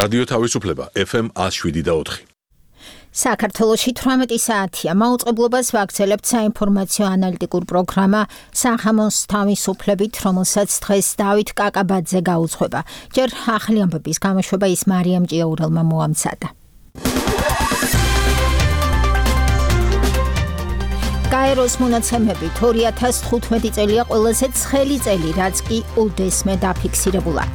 რადიო თავისუფლება FM 107.4. საქართველოში 18 საათია. მაუწყებლობას ვაგრძელებთ საინფორმაციო ანალიტიკურ პროგრამა სახამოს თავისუფლებით, რომელსაც დღეს დავით კაკაბაძე გაუძღვება. ჯერ ახალი ამბების გამოშვება ის მარიამ ჭიაურელმა მოამზადა. გაეროს მონაცემები 2015 წელია ყველაზე ცხელი წელი, რაც კი უდესმე დაფიქსირებულა.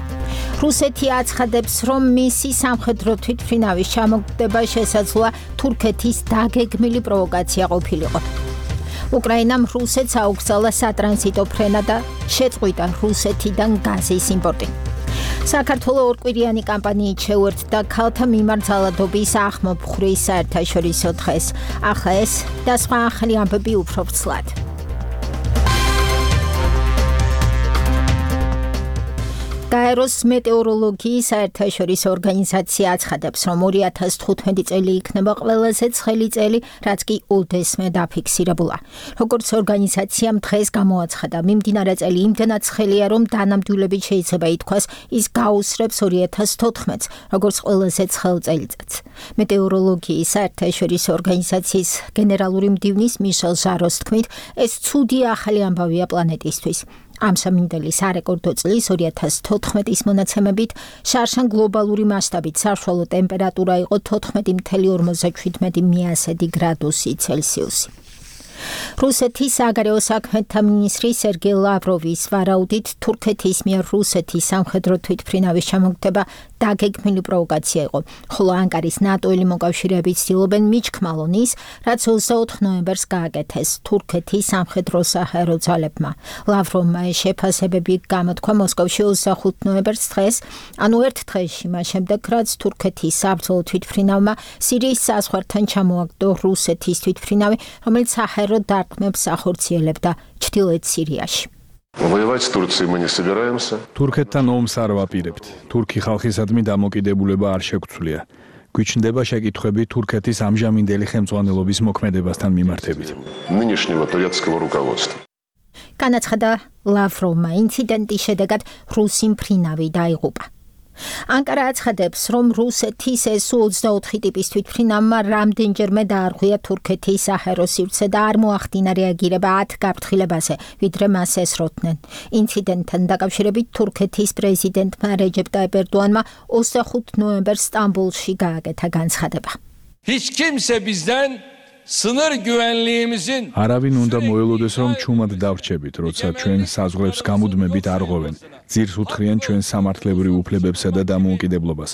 რუსეთი აცხადებს, რომ მისი სამხედრო თვითმფრინავის ჩამოგდება შესაძლოა თურქეთის დაგეგმილი პროვოკაცია ყოფილიყო. უკრაინამ რუსეთს აუკრძალა სატრანზიტო ფრენა და შეწყვიტა რუსეთიდან გაზის იმპორტი. საქართველოს ორკვირიანი კამპანიით შეუერთდა ქალთა მიმართ ძალადობის ახმოფხვრის საერთაშორისო დღეს. ახლა ეს და სხვა ახალი ამბები უფრო ვრცლად. გაეროს მეტეოროლოგიის საერთაშორისო ორგანიზაცია აცხადებს, რომ 2015 წელი იქნება ყველაზე ცხელი წელი, რაც კი უდესმე დაფიქსირებულა. როგორც ორგანიზაციამ დღეს გამოაცხადა, მიმდინარე წელი იმდენად ცხელია, რომ დანამდვილებით შეიძლება ითქვას, ის გაუსრებს 2014-ს, როგორც ყველაზე ცხელ წელიწადს. მეტეოროლოგიის საერთაშორისო ორგანიზაციის გენერალური მდივნის მიშელ ჟაროს თქმით, ეს ცუდი ახალი ამბავია პლანეტისთვის. ამ სამინდელი სარეკორდო წლის 2014-ის მონაცემებით შარშან გლობალური მასშტაბით საშუალო ტემპერატურა იყო 14.57 გრადუსი ცელსიუსი. რუსეთის საგარეო საქმეთა მინისტრი სერგეი ლავროვის ვარაუდით თურქეთის მიერ რუსეთის სამხედრო თვითმფრინავის ჩამოგდება დაგეგმილი პროვოკაცია იყო, ხოლო ანკარის ნატოელი მოკავშირეები ცდილობენ მიჩქმალონ ის, რაც 24 ნოემბერს გააკეთეს თურქეთის სამხედრო საჰაერო ძალებმა. ლავროვმა ეს შეფასებები გამოთქვა მოსკოვში 25 ნოემბერს დღეს, ანუ ერთ დღეში მას შემდეგ, რაც თურქეთის საბრძოლო თვითმფრინავმა სირიის საზღვართან ჩამოაგდო რუსეთის თვითმფრინავი, რომელიც საჰაერო დარტყმებს ახორციელებდა ჩრდილოეთ სირიაში. Воевать с Турцией мы не собираемся. თურქეთთან ომს არ ვაპირებთ. თურქი ხალხისადმი დამოკიდებულება არ შეგვცვლია. გვიჩნდება შეკითხვები თურქეთის ამჟამინდელი ხელმძღვანელობის მოქმედებასთან მიმართებით. Нынешнего турецкого руководства. განაცხადა ლავროვმა, ინციდენტის შედეგად რუსი მფრინავი დაიღუპა. ანკარა აცხადებს, რომ რუსეთის SU-24 ტიპის თვითმფრინავმა რამდენჯერმე დაარღვია თურქეთის საჰაერო სივრცე და არ მოახდინა რეაგირება 10 გაფრთხილებაზე, ვიდრე მას ესროდნენ. ინციდენტთან დაკავშირებით თურქეთის პრეზიდენტმა რეჯეპ ტაიპ ერდოანმა 25 ნოემბერს სტამბოლში გააკეთა განცხადება. Hiç kimse bizden sınır güvenliğimizin არავინ უნდა მოელოდეს, რომ ჩუმად დავრჩებით, როცა ჩვენ საზღვრებს გამუდმებით არ ღვევენ. ძირს უთხრიან ჩვენ სამართლებრივ უფლებებსა და დამოუკიდებლობას.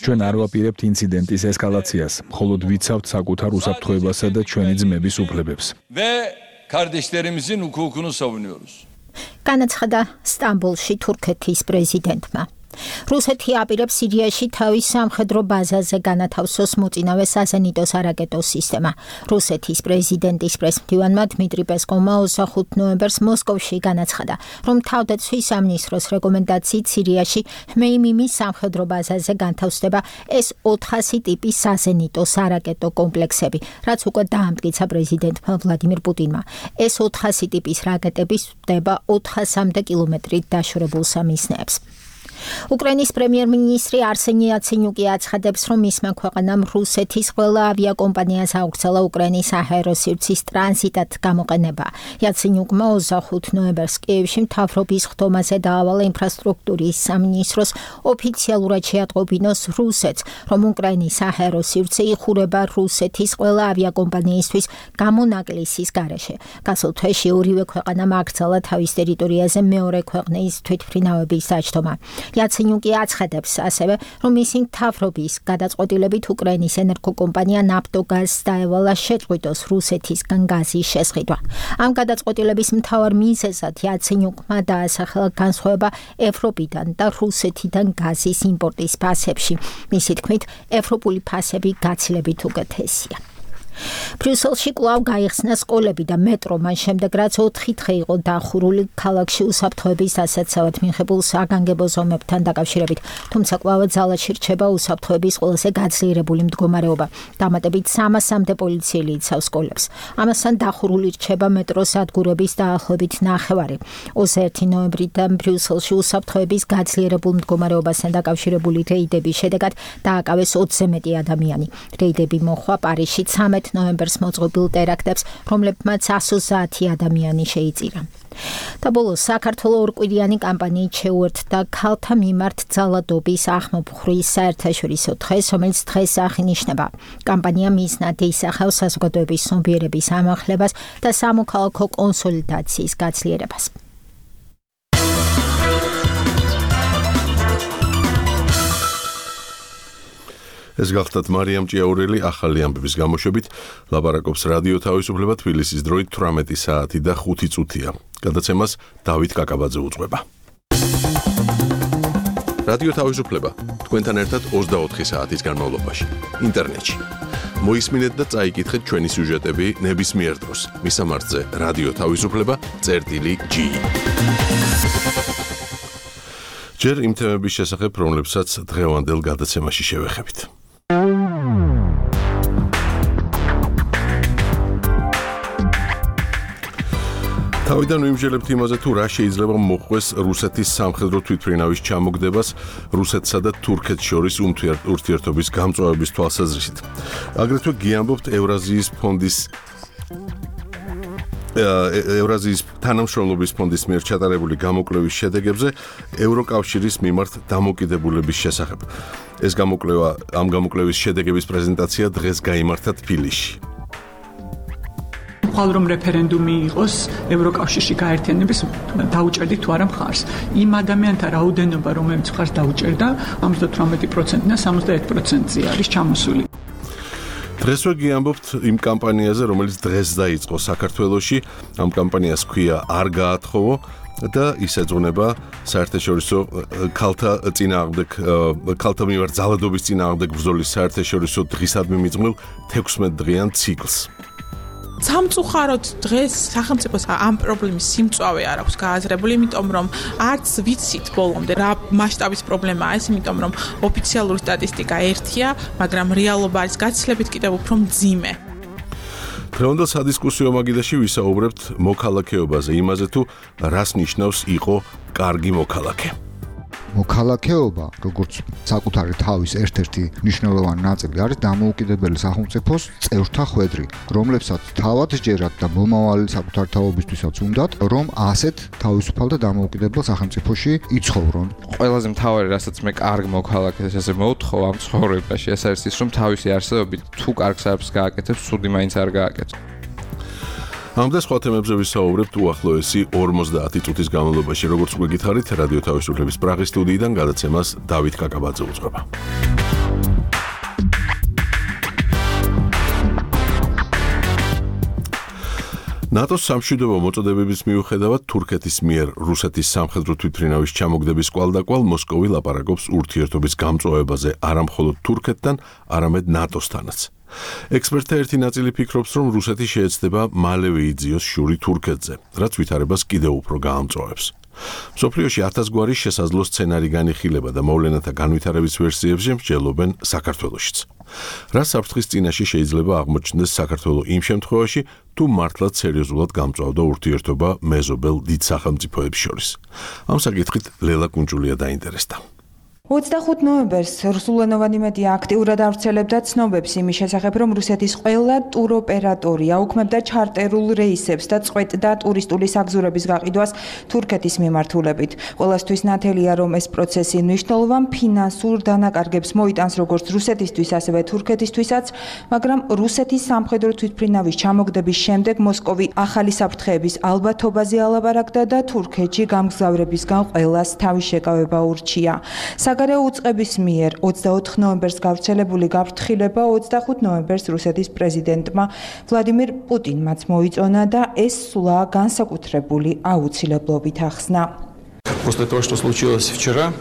ჩვენ არ ვაპირებთ ინციდენტის ესკალაციას, მხოლოდ ვიცავთ საკუთარ უსაფრთხოებასა და ჩვენი ძმების უფლებებს. ve kardeşlerimizin hukukunu savunuyoruz. განაცხადა სტამბოლში თურქეთის პრეზიდენტმა. რუსეთი აპირებს სირიაში თავის სამხედრო ბაზაზე განათავსოს მოწინავე საზენიტო სარაკეტო სისტემა. რუსეთის პრეზიდენტის პრესმდივანმა დმიტრი პესკოვმა 25 ნოემბერს მოსკოვში განაცხადა, რომ თავდაცვის სამინისტროს რეკომენდაციით სირიაში ჰმეიმიმის სამხედრო ბაზაზე განთავსდება S-400 ტიპის საზენიტო სარაკეტო კომპლექსები, რაც უკვე დაამტკიცა პრეზიდენტმა ვლადიმირ პუტინმა. S-400 ტიპის რაკეტები სვდება 400-მდე კილომეტრით დაშორებულ სამიზნეებს. უკრაინის პრემიერ-მინისტრი არსენი იაცენიუკი აცხადებს, რომ მისმა ქვეყანამ რუსეთის ყველა ავიაკომპანიას აუკრძალა უკრაინის საჰაერო სივრცის ტრანზიტად გამოყენება. იაცენიუკმა 25 ნოემბერს კიევში მთავრობის ხდომაზე დაავალა ინფრასტრუქტურის სამინისტროს ოფიციალურად შეატყობინოს რუსეთს, რომ უკრაინის საჰაერო სივრცე იხურება რუსეთის ყველა ავიაკომპანიისთვის გამონაკლისის გარეშე. გასულ თვეში ორივე ქვეყანამ აკრძალა თავის ტერიტორიაზე მეორე ქვეყნის თვითმფრინავების დაჯდომა. იაცენიუკი აცხადებს ასევე, რომ მისი მთავრობის გადაწყვეტილებით უკრაინის ენერგოკომპანია ნაფტოგაზს დაევალა შეწყვიტოს რუსეთისგან გაზის შესყიდვა. ამ გადაწყვეტილების მთავარ მიზეზად იაცენიუკმა დაასახელა განსხვავება ევროპიდან და რუსეთიდან გაზის იმპორტის ფასებში. მისი თქმით, ევროპული ფასები გაცილებით უკეთესია. ბრიუსელში კვლავ გაიხსნა სკოლები და მეტრო, მან შემდეგ რაც 4 დღე იყო დახურული ქალაქში უსაფრთხოების დასაცავად მიღებულ საგანგებო ზომებთან დაკავშირებით, თუმცა კვლავ ძალაში რჩება უსაფრთხოების ყველაზე გაძლიერებული მდგომარეობა. დამატებით 300-მდე პოლიციელი იცავს სკოლებს. ამასთან დახურული რჩება მეტროს სადგურების დაახლოებით 9-ვარი. 21 ნოემბრიდან ბრიუსელში უსაფრთხოების გაძლიერებულ მდგომარეობასთან დაკავშირებული რეიდების შედეგად დააკავეს 20-ზე მეტი ადამიანი. რეიდები მოხდა პარიზში 13 ნოემბერს მოწყობილ ტერაქტებს, რომლებმაც 130 ადამიანი შეიწირა. და ბოლოს საქართველოს ორკვირიანი კამპანიით შეუერთდა ქალთა მიმართ ძალადობის ახმობხურის საერთაშორისო დღეს, რომელიც დღეს აღინიშნება. კამპანია მიზნად ისახავს საზოგადოების ცნობიერების ამაღლებას და სამოქალაქო კონსოლიდაციის გაძლიერებას. ეს გახლდათ მარიამ ჭიაურელი ახალი ამბების გამოშვებით, ლაპარაკობს რადიო თავისუფლება თბილისის დროით 18 საათი და 5 წუთია. გადაცემას დავით კაკაბაძე უძღვება. რადიო თავისუფლება თქვენთან ერთად 24 საათის განმავლობაში ინტერნეტში. მოისმინეთ და წაიკითხეთ ჩვენი სიუჟეტები ნებისმიერ დროს. მისამართზე რადიო თავისუფლება.gi. ჯერ იმ თემების შესახებ, რომლებსაც დღევანდელ გადაცემაში შევეხებით. თავიდან ვიმსჯელებთ იმაზე, თუ რა შეიძლება მოხდეს რუსეთის სამხედრო თვითმფრინავის ჩამოგდებას რუსეთსა და თურქეთს შორის ურთიერთობის გამწვავების თვალსაზრისით. აგრეთვე გიამბობთ ევრაზიის თანამშრომლობის ფონდის მიერ ჩატარებული გამოკვლევის შედეგებზე ევროკავშირის მიმართ დამოკიდებულების შესახებ. ამ გამოკვლევის შედეგების პრეზენტაცია დღეს გაიმართა თბილისში. რომ რეფერენდუმი იყოს ევროკავშირში გაერთიანების დაუჭერდით თუ არა მხარს. იმ ადამიანთა რაოდენობა, რომელიც მხარს დაუჭერდა, 58%-დან 61%-ზე არის ჩამოსული. დღესვე გიამბობთ იმ კამპანიაზე, რომელიც დღეს დაიწყო საქართველოში. ამ კამპანიას ჰქვია არ გაათხოვო და ის ეძღვნება საერთაშორისო ქალთა მიმართ ძალადობის წინააღმდეგ ბრძოლის საერთაშორისო დღისადმი მიძღვნილ 16 დღიან ციკლს. სამწუხაროდ დღეს სახელმწიფოს ამ პრობლემის სიმწვავე არ აქვს გააზრებული, იმიტომ რომ არც ვიცით ბოლომდე რა მასშტაბის პრობლემაა ეს, იმიტომ რომ ოფიციალური სტატისტიკა ერთია, მაგრამ რეალობა არის გაცილებით კიდევ უფრო მძიმე. დღევანდელ სადისკუსიო მაგიდაში ვისაუბრებთ მოქალაქეობაზე, იმაზე თუ რას ნიშნავს იყო კარგი მოქალაქე. მოქალაქეობა, როგორც საკუთარი თავის ერთ-ერთი მნიშვნელოვანი ნაწილი არის დამოუკიდებელი სახელმწიფოს წევრთა ხვედრი, რომლებსაც თავად სჯერათ და მომავალი საკუთარი თავობისთვისაც უნდათ, რომ ასეთ თავისუფალ და დამოუკიდებელ სახელმწიფოში იცხოვრონ. ყველაზე მთავარი, რასაც მე კარგ მოქალაქეს ესე მოვთხოვ ამ ცხოვრებაში, ეს არის ის, რომ თავისი არსებობით თუ კარგ საერთოს გააკეთებს, ცუდი მაინც არ გააკეთებს. ამ და სხვა თემებზე ვისაუბრებთ უახლოესი 50 წუთის განმავლობაში, როგორც უკვე გითხარით, რადიო თავისუფლების პრაღის სტუდიიდან გადაცემას დავით კაკაბაძე უძღვება. ნატოს სამშვიდობო მოწოდებების მიუხედავად თურქეთის მიერ რუსეთის სამხედრო თვითმფრინავის ჩამოგდების კვალდაკვალ მოსკოვი ლაპარაკობს ურთიერთობის გამწვავებაზე არა მხოლოდ თურქეთთან, არამედ ნატოსთანაც. ექსპერტთა ერთი ნაწილი ფიქრობს, რომ რუსეთი შეეცდება მალევე იძიოს შური თურქეთზე, რაც ვითარებას კიდევ უფრო გაამწვავებს. მსოფლიოში 1000 გვარი შესაძლო სცენარი განიხილება და მოვლენათა განვითარების ვერსიებზე მსჯელობენ საქართველოშიც. რა საფრთხის წინაშე შეიძლება აღმოჩნდეს საქართველო იმ შემთხვევაში, თუ მართლაც სერიოზულად გამწვავდა ურთიერთობა მეზობელ დიდ სახელმწიფოებს შორის. ამ საკითხით ლელა კუნჭულია დაინტერესდა. 25 ნოემბერს რუსულენოვანი მედია აქტიურად ავრცელებდა ცნობებს იმის შესახებ, რომ რუსეთის ყველა ტუროპერატორი აუქმებდა ჩარტერულ რეისებს და წყვეტდა ტურისტული საგზურების გაყიდვას თურქეთის მიმართულებით. ყველასთვის ნათელია, რომ ეს პროცესი მნიშვნელოვან ფინანსურ დანაკარგებს მოიტანს როგორც რუსეთისთვის, ასევე თურქეთისთვისაც, მაგრამ რუსეთის სამხედრო თვითმფრინავის ჩამოგდების შემდეგ მოსკოვი ახალი საფრთხეების ალბათობაზე ალაპარაკდა და თურქეთში გამგზავრებისგან ყველას თავის შეკავება ურჩია. საგარეო უწყების მიერ 24 ნოემბერს გავრცელებული გაფრთხილება 25 ნოემბერს რუსეთის პრეზიდენტმა ვლადიმირ პუტინმაც მოიწონა და ეს სულა განსაკუთრებული აუცილებლობით ახსნა. После того, что случилось вчера,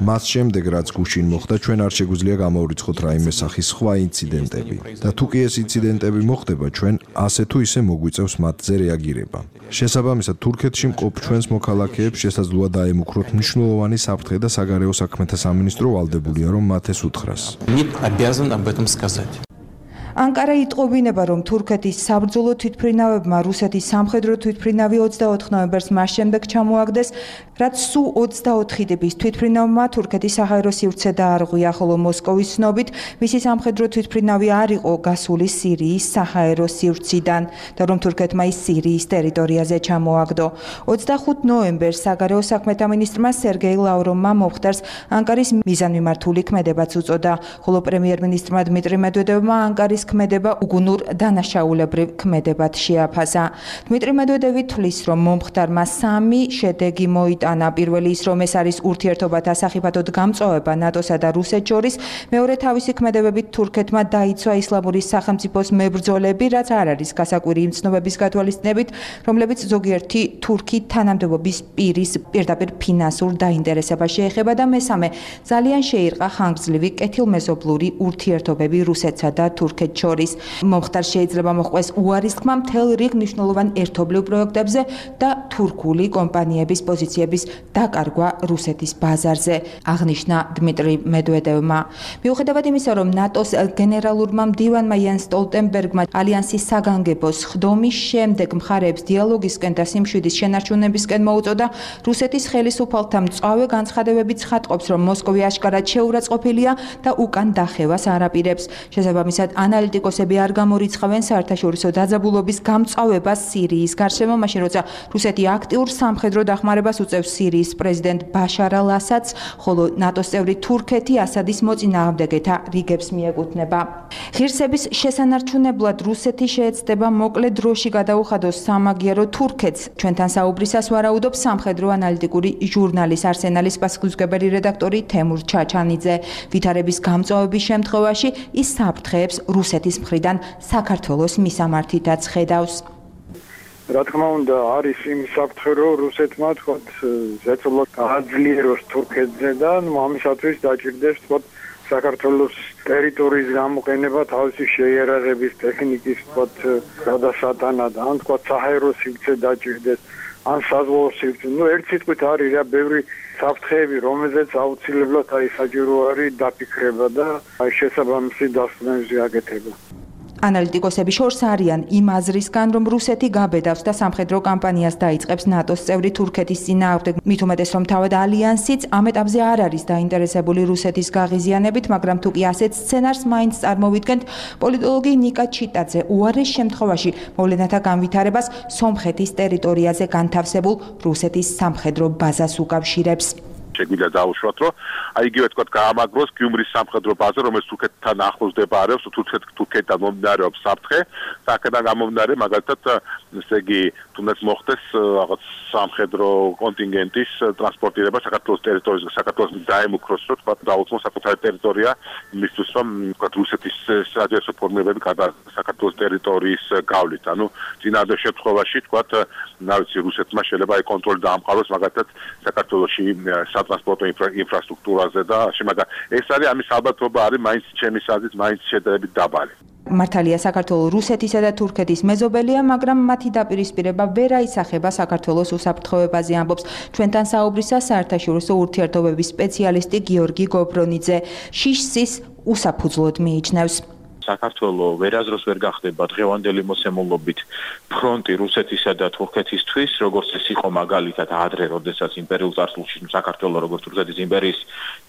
მას შემდეგ რაც გუშინ მოხდა, ჩვენ არ შეგვიძლია გამოვრიცხოთ რაიმე სახის სხვა ინციდენტები. და თუ კი ეს ინციდენტები მოხდება, ჩვენ ასე თუ ისე მოგვიწევს მათზე რეაგირება. შესაბამისად, თურქეთში მყოფ ჩვენს მოქალაქეებს შესაძლოა დაემუქროთ მნიშვნელოვანი საფრთხე და საგარეო საქმეთა სამინისტრო ვალდებულია, რომ მათ ეს უთხრას. ანკარა იტყობინება, რომ თურქეთის საბრძოლო თვითმფრინავებმა რუსეთის სამხედრო თვითმფრინავი 24 ნოემბერს მას შემდეგ ჩამოაგდეს, რაც სუ 24 ტიპის თვითმფრინავმა თურქეთის საჰაერო სივრცე დაარღვია, ხოლო მოსკოვის ცნობით მისი სამხედრო თვითმფრინავი არ იყო გასული სირიის საჰაერო სივრციდან და რომ თურქეთმა ის სირიის ტერიტორიაზე ჩამოაგდო. 25 ნოემბერს საგარეო საქმეთა მინისტრმა სერგეი ლავროვმა მომხდარს ანკარის მიზანმიმართული ქმედებაც უწოდა, ხოლო პრემიერ-მინისტრმა დმიტრი მედვედევმა ანკარის ქმედება უგუნურ დანაშაულებრივ ქმედებად შეაფასა. დმიტრი მედვედევი თვლის, რომ მომხდარმა 3 შედეგი მოიტანა. პირველი ის, რომ ეს არის ურთიერთობათა სახიფათოდ გამწვავება ნატოსა და რუსეთს შორის, მეორე თავისი ქმედებებით თურქეთმა დაიცვა ისლამური სახელმწიფოს მებრძოლები, რაც არ არის გასაკვირი იმ ცნობების გათვალისწინებით, რომლებიც ზოგიერთი თურქი თანამდებობის პირის პირდაპირ ფინანსურ დაინტერესებას შეეხება და მესამე, ძალიან შეირყა ხანგრძლივი კეთილმეზობლური ურთიერთობები რუსეთსა და თურქეთს შორის. მომხდარს შეიძლება მოჰყვეს უარის თქმა მთელ რიგ მნიშვნელოვან ერთობლივ პროექტებზე და თურქული კომპანიების პოზიციების დაკარგვა რუსეთის ბაზარზე, აღნიშნა დმიტრი მედვედევმა. მიუხედავად იმისა, რომ ნატოს გენერალურმა მდივანმა იანს სტოლტენბერგმა ალიანსის საგანგებოს ხდომის შემდეგ მხარეებს დიალოგისკენ და სიმშვიდის შენარჩუნებისკენ მოუწოდა, რუსეთის ხელისუფალთა მწვავე განცხადებები ცხადყოფს, რომ მოსკოვი აშკარად შეურაცხყოფილია და უკან დახევას არ აპირებს. შესაბამისად, ანალიტიკოსები არ გამორიცხავენ საერთაშორისო დაძაბულობის გამწვავებას სირიის გარშემო, მაშინ როცა რუსეთი აქტიურ სამხედრო დახმარებას უწევს სირიის პრეზიდენტ ბაშარ ალ-ასადს, ხოლო ნატოს წევრი თურქეთი ასადის მოწინააღმდეგეთა რიგებს მიეკუთვნება. ღირსების შესანარჩუნებლად რუსეთი შეეცდება მოკლე დროში გადაუხადოს სამაგიერო თურქეთს. ჩვენთან საუბრისას ვარაუდობს სამხედრო ანალიტიკური ჟურნალის არსენალის პასუხისმგებელი რედაქტორი თემურ ჩაჩანიძე. ვითარების გამწვავების შემთხვევაში ის საფრთხეებს რუსეთის მხრიდან საქართველოს მისამართითაც ხედავს. რა თქმა უნდა, არის იმის საფრთხე, რომ რუსეთმა თქოთ ზეწოლად გააძლიეროს თურქეთზე და ამისათვის დაჭირდეს თქოთ საქართველოს ტერიტორიის გამოყენება თავისი შეიარაღების ტექნიკის თქოთ გადასატანად, ან თქოთ საჰაერო სივრცე დაჭირდეს, ან საზღვაო სივრცე. ერთ სიტყვით არის რა ბევრი საფრთხეები, რომელზეც აუცილებლად საჭირო არის დაფიქრება და შესაბამისი დასკვნები აკეთება. ანალიტიკოსები შორს არიან იმ აზრისგან, რომ რუსეთი გაბედავს და სამხედრო კამპანიას დაიწყებს ნატოს წევრი თურქეთის წინააღმდეგ. მით უმეტეს, რომ თავად ალიანსიც ამ ეტაპზე არ არის დაინტერესებული რუსეთის გაღიზიანებით, მაგრამ თუ კი ასეთ სცენარს მაინც წარმოვიდგენთ, პოლიტოლოგი ნიკა ჩიტაძე უარეს შემთხვევაში მოვლენათა განვითარებას სომხეთის ტერიტორიაზე განთავსებულ რუსეთის სამხედრო ბაზას უკავშირებს. შეგვიძლია დაუშვათ, რომ იგივე თქვა გაამაგროს გიუმრის სამხედრო ბაზა, რომელიც თურქეთთან ახლოს მდებარეობს, თურქეთთან მომდინარეობს საფრთხე, აქედან გამომდინარე, მაგალითად, ესე იგი, თუნდაც მოხდეს რაღაც სამხედრო კონტინგენტის ტრანსპორტირება საქართველოს ტერიტორიაზე, საქართველოს დაემუქროს, რომ თქვა დაუწყოს საკუთარი ტერიტორია, იმისთვის, რომ თქვა რუსეთის საჯარო ფორმირებები გადა საქართველოს ტერიტორიის გავლით. ანუ წინადად შემთხვევაში თქვა, რა ვიცი, რუსეთმა შეიძლება აი კონტროლი დაამყაროს მაგალითად საქართველოში სატრანსპორტო ინფრასტრუქტურაზე და შემაგა ეს არის ამის ალბათობა არის მაინც ჩემის აზრით მაინც შედარებით დაბალი. მართალია საქართველოს რუსეთისა და თურქეთის მეზობელია, მაგრამ მათი დაპირისპირება ვერ აისახება საქართველოს უსაფრთხოებაზე, ამბობს ჩვენთან საუბრისას საერთაშორისო ურთიერთობების სპეციალისტი გიორგი გობრონიძე. შიშსის უსაფუძვლოდ მიიჩნევს. საქართველოს ვერაზროს ვერ გახდება დღევანდელი მოსემულობით ფრონტი რუსეთისა და თურქეთისთვის, როგორც ეს იყო მაგალითად ადრე, როდესაც იმპერიულ წარსულში საქართველოს როგორც რუსეთის იმპერიის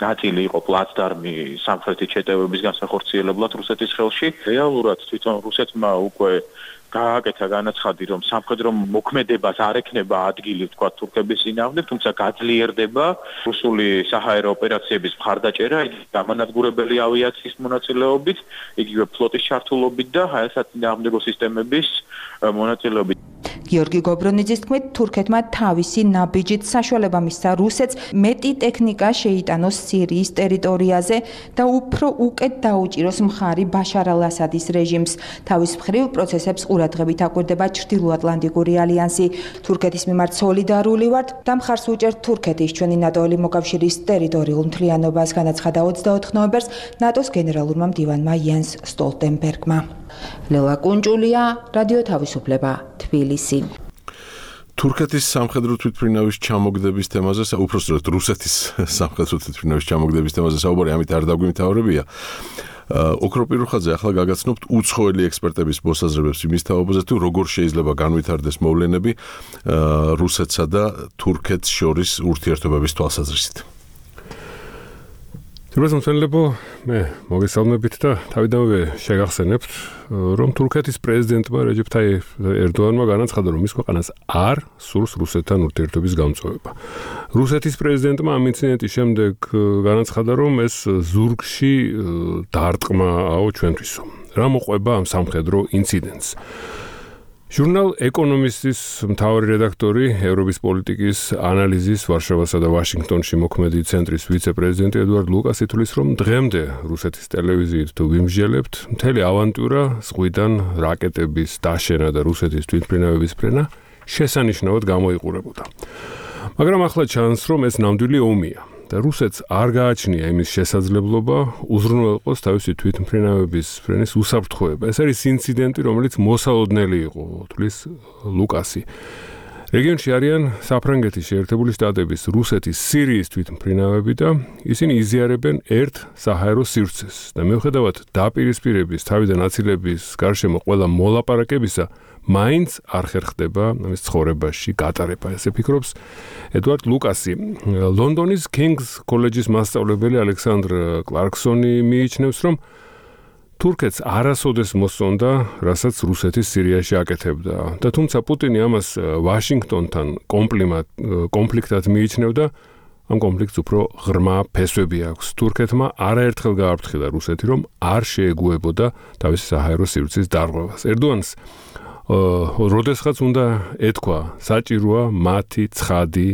ნაწილი იყო პლაცდარმი სამხრეთის შეტევების განსახორციელებლად რუსეთის ხელში. რეალურად თვითონ რუსეთმა უკვე გააკეთა განაცხადი, რომ სამხედრო მოქმედებას არ ექნება ადგილი თქვა თურქების წინააღმდეგ, თუმცა გაძლიერდება რუსული საჰაერო ოპერაციების მხარდაჭერა, გამანადგურებელი ავიაციის მონაწილეობით, იგივე ფლოტის ჩართულობით და საწინააღმდეგო სისტემების მონაწილეობით. გიორგი გობრონიძის თქმით, თურქეთმა თავისი ნაბიჯით საშუალება მისცა რუსეთს მეტი ტექნიკა შეიტანოს სირიის ტერიტორიაზე და უფრო უკეთ დაუჭიროს მხარი ბაშარ ალ-ასადის რეჟიმს. თავის მხრივ პროცესებს ყურადღებით აკვირდება ჩრდილოატლანტიკური ალიანსი. თურქეთის მიმართ სოლიდარული ვართ და მხარს უჭერთ თურქეთის ჩვენი ნატოელი მოკავშირის ტერიტორიულ მთლიანობას, განაცხადა 24 ნოემბერს ნატოს გენერალურმა მდივანმა იენს სტოლტენბერგმა. ლელა კუნჭულია, რადიო თავისუფლება, თბილისი. თურქეთის სამხედრო თვითმფრინავის ჩამოგდების თემაზე, უпростоრად რუსეთის სამხედრო თვითმფრინავის ჩამოგდების თემაზე საუბარი ამით არ დაგვიმთავრებია. ოქრო პირუხაძე, ახლა გაგაცნობთ უცხოელი ექსპერტების მოსაზრებებს იმის თაობაზე, თუ როგორ შეიძლება განვითარდეს მოვლენები რუსეთსა და თურქეთს შორის ურთიერთობების თვალსაზრისით. თურქეთმცველებო, მე მოგესალმებით და თავიდანვე შეგახსენებთ, რომ თურქეთის პრეზიდენტმა რეჯეფ თაიფ ერდოანმა განაცხადა, რომ მის ქვეყანას არ სურს რუსეთთან ურთიერთობის გამწვევა. რუსეთის პრეზიდენტმა ამ ინციდენტის შემდეგ განაცხადა, რომ ეს ზურგში დარტყმაო ჩვენთვისო. რა მოყვება ამ სამხედრო ინციდენტს? ჟურნალ ეკონომისტის მთავარი რედაქტორი, ევროპის პოლიტიკის ანალიზის ვარშავასა და ვაშინგტონში მოქმედი ცენტრის ვიცე-პრეზიდენტი ედუარდ ლუკასი თვლის, რომ დღემდე რუსეთის ტელევიზიით თუ ვიმსჯელებთ, მთელი ავანტურა ზღვიდან რაკეტების დაშენა და რუსეთის თვითმფრინავების ფრენა შესანიშნავად გამოიყურებოდა. მაგრამ ახლა ჩანს, რომ ეს ნამდვილი ომია და რუსეთს არ გააჩნია იმის შესაძლებლობა უზრუნველყოს თავისი თვითმფრინავების ფრენის უსაფრთხოება. ეს არის ინციდენტი, რომელიც მოსალოდნელი იყო, თვლის ლუკასი. რეგიონში არიან საფრანგეთის შეერთებული შტატების, რუსეთის, სირიის თვითმფრინავები და ისინი იზიარებენ ერთ საჰაერო სივრცეს და მიუხედავად დაპირისპირების თავიდან აცილების გარშემო ყველა მოლაპარაკებისა, მაინც არ ხერხდება ამის ცხოვრებაში გატარება. ესე ფიქრობს ედუარდ ლუკასი. ლონდონის King's კოლეჯის მასწავლებელი ალექსანდრ კლარკსონი მიიჩნევს, რომ თურქეთს არასოდეს მოსწონდა, რასაც რუსეთის სირიაში აკეთებდა და თუმცა პუტინი ამას ვაშინგტონთან კონფლიქტად მიიჩნევდა, ამ კონფლიქტს უფრო ღრმა ფესვები აქვს. თურქეთმა არაერთხელ გააფრთხილა რუსეთი, რომ არ შეეგუებოდა თავისი საჰაერო სივრცის დარღვევას. ერდოანს როდესღაც უნდა ეთქვა, საჭიროა მათი ცხადი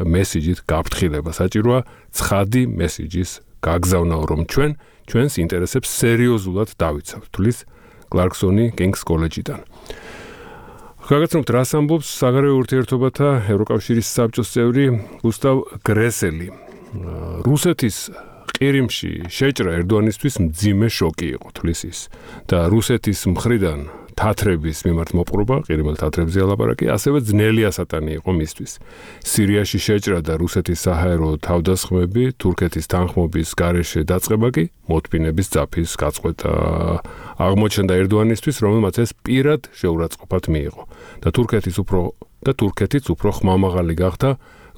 მესიჯით გაფრთხილება, საჭიროა ცხადი მესიჯის გაგზავნა, რომ ჩვენს ინტერესებს სერიოზულად დავიცავთ, თulis კლარკსონი King's კოლეჯიდან. გაგაცნობთ, რას ამბობს საგარეო ურთიერთობათა ევროკავშირის საბჭოს წევრი გუსტავ გრესელი. რუსეთის ყირიმში შეჭრა ერდოანისთვის მძიმე შოკი იყო, თulis ის და რუსეთის მხრიდან თათრების მიმართ მოპყრობა, ყირიმელ თათრებზე ალაპარაკი, ასევე ძნელი ასატანი იყო მისთვის. სირიაში შეჭრა და რუსეთის საჰაერო თავდასხმები, თურქეთის თანხმობის გარეშე დაწყება კი მოთმინების ძაფის გაწყვეტა აღმოჩნდა ერდოანისთვის, რომელმაც ეს პირად შეურაცხყოფად მიიღო და თურქეთიც უფრო ხმამაღალი გახდა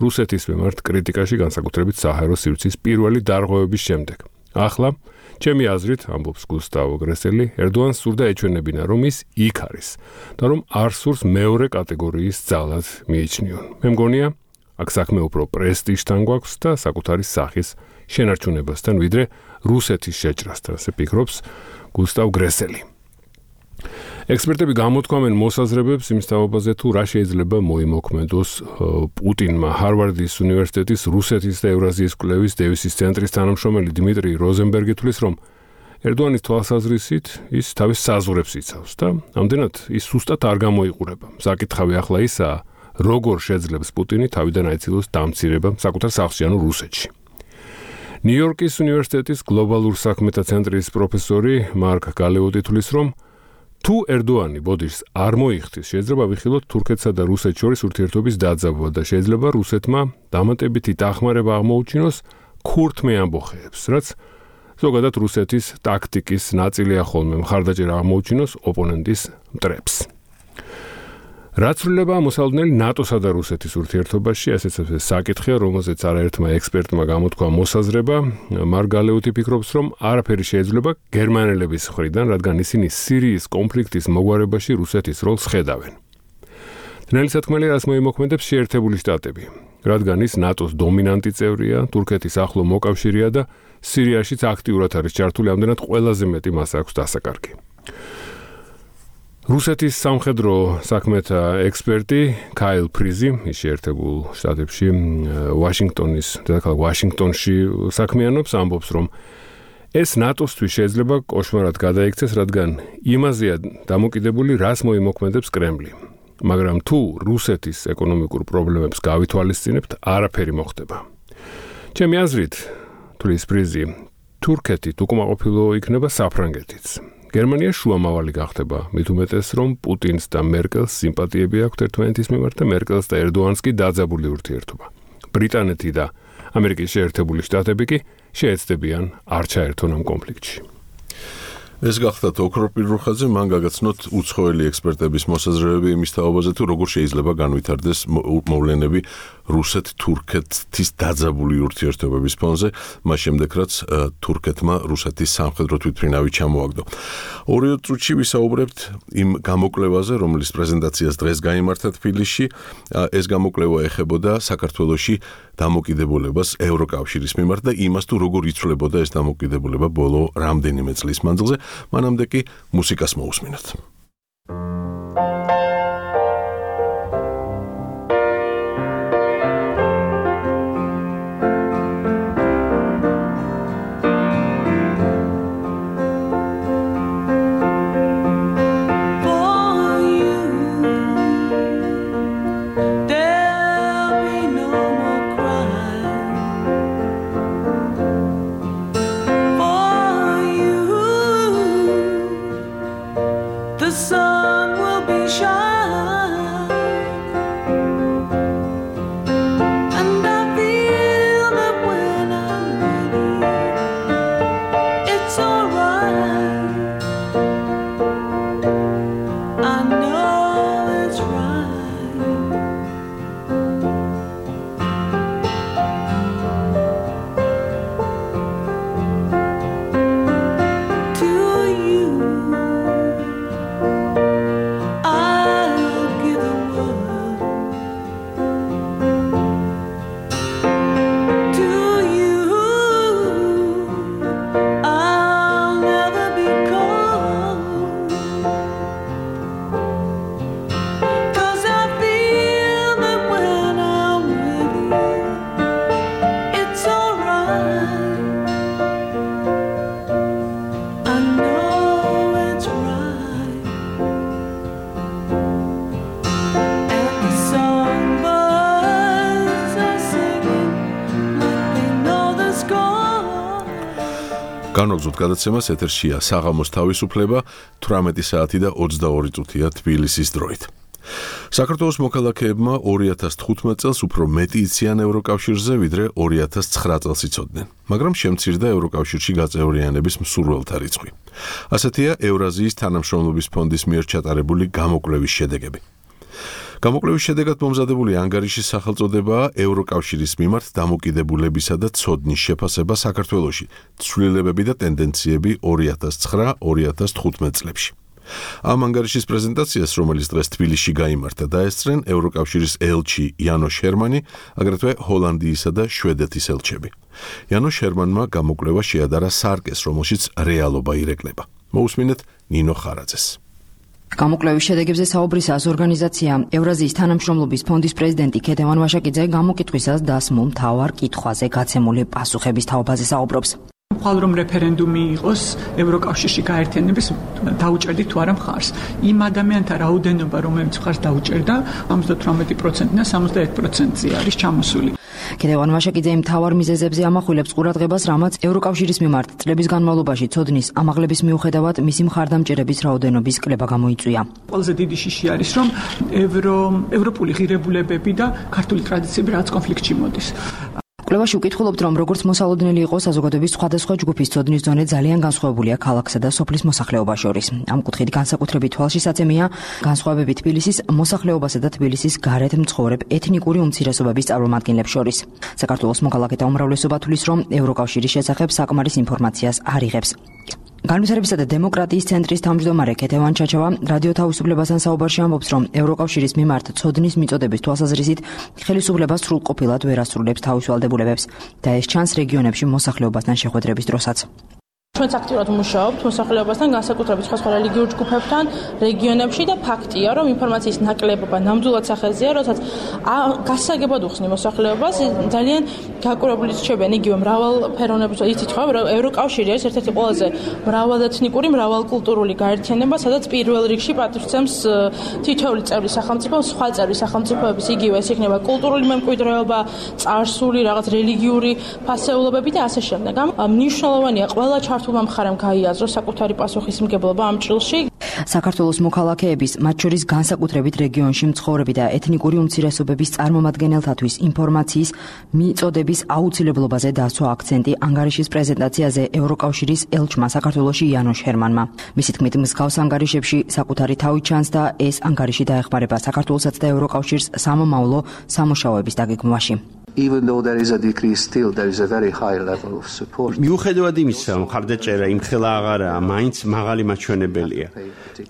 რუსეთის მიმართ კრიტიკაში, განსაკუთრებით საჰაერო სივრცის პირველი დარღვევების შემდეგ. ახლა ჩემი აზრით, ამბობს გუსტავ გრესელი, ერდოანს სურდა ეჩვენებინა, რომ ის იქ არის და რომ არ სურს მეორე კატეგორიის ძალად მიიჩნიონ. მე მგონია, აქ საქმე უფრო პრესტიჟთან გვაქვს და საკუთარი სახის შენარჩუნებასთან, ვიდრე რუსეთის შეჭრასთან, ასე ფიქრობს გუსტავ გრესელი. ექსპერტები გამოთქვამენ მოსაზრებებს იმის თაობაზე, თუ რა შეიძლება მოიმოქმედოს პუტინმა. ჰარვარდის უნივერსიტეტის რუსეთის და ევრაზიის კვლევის დევისის ცენტრის თანამშრომელი დიმიტრი როზენბერგი თვლის, რომ ერდოანის თვალსაზრისით ის თავის საზღვრებს იცავს და ამდენად ის სუსტად არ გამოიყურება. საკითხავი ახლა ისაა, როგორ შეძლებს პუტინი თავიდან აიცილოს დამცირება საკუთარ სახლში, ანუ რუსეთში. ნიუ-იორკის უნივერსიტეტის გლობალურ საქმეთა ცენტრის პროფესორი მარკ გალეოტი თვლის, რომ თუ ერდოანი ბოდიშს არ მოიხდის, შეიძლება ვიხილოთ თურქეთსა და რუსეთს შორის ურთიერთობის დაძაბვა და შეიძლება რუსეთმა დამატებითი დახმარება აღმოუჩინოს ქურთმე ამბოხეებს, რაც ზოგადად რუსეთის ტაქტიკის ნაწილია ხოლმე მხარდაჭერა აღმოუჩინოს ოპონენტის მტრებს. რაც ცვლილება მოსალოდნელი ნატოსა და რუსეთის ურთიერთობაში, ესეც საკითხია, რომელზეც არაერთმა ექსპერტმა გამოთქვა მოსაზრება. მარკ გალეოტი ფიქრობს, რომ არაფერი შეიძლება გერმანელების მხრიდან, რადგან ისინი სირიის კონფლიქტის მოგვარებაში რუსეთის როლს ხედავენ. ძნელი სათქმელი რას მოიმოქმედებს შეერთებული შტატები, რადგან ის ნატოს დომინანტი წევრია, თურქეთის ახლო მოკავშირეა და სირიაშიც აქტიურად არის ჩართული, ამდენად ყველაზე მეტი მას აქვს დასაკარგი. რუსეთის სამხედრო საქმეთა ექსპერტი კაილ ფრიზი შეერთებულ შტატებში ვაშინგტონის დედაქალაქ ვაშინგტონში საქმიანობს, ამბობს, რომ ეს ნატოსთვის შეიძლება კოშმარად გადაიქცეს, რადგან იმაზეა დამოკიდებული, რას მოიმოქმედებს კრემლი. მაგრამ თუ რუსეთის ეკონომიკურ პრობლემებს გავითვალისწინებთ, არაფერი მოხდება. ჩემი აზრით, თulis ფრიზი, თურქეთი უკმაყოფილო იქნება საფრანგეთიც. გერმანია შუამავალი გახდება, მით უმეტეს, რომ პუტინს და მერკელს სიმპათიები აქვთ ერთმანეთის მიმართ და მერკელს და ერდოანს კი დაძაბული ურთიერთობა. ბრიტანეთი და ამერიკის შეერთებული შტატები კი შეეცდებიან არ ჩაერთონ ამ კონფლიქტში. ეს გახდათ ოქროპირ რუხაძე, მან გაგაცნოთ უცხოელი ექსპერტების მოსაზრებები იმის თაობაზე, თუ როგორ შეიძლება განვითარდეს მოვლენები რუსეთ-თურქეთის დაძაბული ურთიერთობების ფონზე, მას შემდეგ რაც თურქეთმა რუსეთის სამხედრო თვითმფრინავი ჩამოაგდო. 2 წუთში ვისაუბრებთ იმ გამოკვლევაზე, რომლის პრეზენტაციას დღეს გაიმართა თბილისში. ეს გამოკვლევა ეხებოდა საქართველოში დამოკიდებულებას ევროკავშირის მიმართ და იმას, თუ როგორ იცვლებოდა ეს დამოკიდებულება ბოლო რამდენიმე წლის მანძილზე. მანამდე კი მუსიკას მოусმინოთ. განვაგზავნოთ გადაცემას, ეთერშია საღამოს თავისუფლება, 18 საათი და 22 წუთია თბილისის დროით. საქართველოს მოქალაქეებმა 2015 წელს უფრო მეტი იციან ევროკავშირზე, ვიდრე 2009 წელს იცოდნენ, მაგრამ შემცირდა ევროკავშირში გაწევრიანების მსურველთა რიცხვი. ასეთია ევრაზიის თანამშრომლობის ფონდის მიერ ჩატარებული გამოკვლევის შედეგები. გამოკვლევის შედეგად მომზადებული ანგარიშის სახელწოდებაა ევროკავშირის მიმართ დამოკიდებულებისა და ცოდნის შეფასება საქართველოში, ცვლილებები და ტენდენციები 2009-2015 წლებში. ამ ანგარიშის პრეზენტაციას, რომელიც დღეს თბილისში გაიმართა, დაესწრენ ევროკავშირის ელჩი იანო შერმანი, აგრეთვე ჰოლანდიისა და შვედეთის ელჩები. იანო შერმანმა გამოკვლევა შეადარა სარკეს, რომელშიც რეალობა ირეკლება. მოусმინეთ ნინო ხარაძეს. გამოკვლევის შედეგებზე საუბრისას ორგანიზაცია ევრაზიის თანამშრომლობის ფონდის პრეზიდენტი ქეთევან ვაშაკიძე გამოკითხვისას დასმულ მთავარ კითხვაზე გაცემული პასუხების თაობაზე საუბრობს. ხვალ რომ რეფერენდუმი იყოს ევროკავშირში გაერთიანების დაუჭერდით თუ არა მხარს. იმ ადამიანთა რაოდენობა, რომელიც მხარს დაუჭერდა, 58% და 61%-ზე არის ჩამოსული. ქეთევან ვაშაკიძე მთავარ მიზეზებზე ამახვილებს ყურადღებას, რამაც ევროკავშირის მიმართ წლების განმავლობაში ცოდნის ამაღლების მიუხედავად მისი მხარდამჭერების რაოდენობის კლება გამოიწვია. ყველაზე დიდი შიში არის, რომ ევროპული ღირებულებები და ქართული ტრადიციები რაც კონფლიქტში მოდის. კვლევაში ვკითხულობთ, რომ როგორც მოსალოდნელი იყო საზოგადოების სხვადასხვა ჯგუფის ცოდნის დონე ძალიან განსხვავებულია ქალაქსა და სოფლის მოსახლეობას შორის. ამ კუთხით განსაკუთრებით თვალშისაცემია განსხვავებები თბილისის მოსახლეობასა და თბილისის გარეთ მცხოვრებ ეთნიკური უმცირესობების წარმომადგენლებს შორის. საქართველოს მოქალაქეთა უმრავლესობა თვლის, რომ ევროკავშირის შესახებ საკმარის ინფორმაციას არ იღებს. განვითარებისა და დემოკრატიის ცენტრის თავმჯდომარე ქეთევან ჩაჩავა რადიო თავისუფლებასთან საუბარში ამბობს, რომ ევროკავშირის მიმართ ცოდნის მიწოდების თვალსაზრისით ხელისუფლება სრულყოფილად ვერ ასრულებს თავის ვალდებულებებს და ეს ჩანს რეგიონებში მოსახლეობასთან შეხვედრების დროსაც. ჩვენც აქტიურად ვმუშაობთ მოსახლეობასთან, განსაკუთრებით სხვა რელიგიურ ჯგუფებთან, რეგიონებში და ფაქტია, რომ ინფორმაციის ნაკლებობა ნამდვილად სახელზეა, როდესაც გასაგებად უხსნი მოსახლეობას, ძალიან გაკურებული რჩებიან იგივე მრავალფეროვნების, იცით ხო, ევროკავშირი არის ერთ-ერთი ყველაზე მრავალეთნიკური, მრავალკულტურული გაერთიანება, სადაც პირველ რიგში პატივცემს თითოეული წევრი სახელმწიფო, სხვა წევრი სახელმწიფოების იგივე ეს იქნება კულტურული მემკვიდრეობა, წარსული, რაღაც რელიგიური ფასეულობები და ასე შემდეგ. მნიშვნელოვანია ყველა ჩართულმა მხარემ გაიაზროს საკუთარი პასუხისმგებლობა ამ ჭრილში. საქართველოს მოქალაქეების, მათ შორის განსაკუთრებით რეგიონში მცხოვრები და ეთნიკური უმცირესობების წარმომადგენელთათვის ინფორმაციის მიწოდების აუცილებლობაზე დასვა აქცენტი ანგარიშის პრეზენტაციაზე ევროკავშირის ელჩმა საქართველოში იანოშ ჰერმანმა. მისი თქმით, მსგავს ანგარიშებში საკუთარი თავი ჩანს და ეს ანგარიში დაეხმარება საქართველოსაც და ევროკავშირს სამომავლო სამუშაოების დაგეგმვაში. Even though there is a decrease, still there is a very high level of support. მიუხედავად იმისა, რომ ხარდაჭერა იმხელა აღარაა, მაინც მაღალი მაჩვენებელია.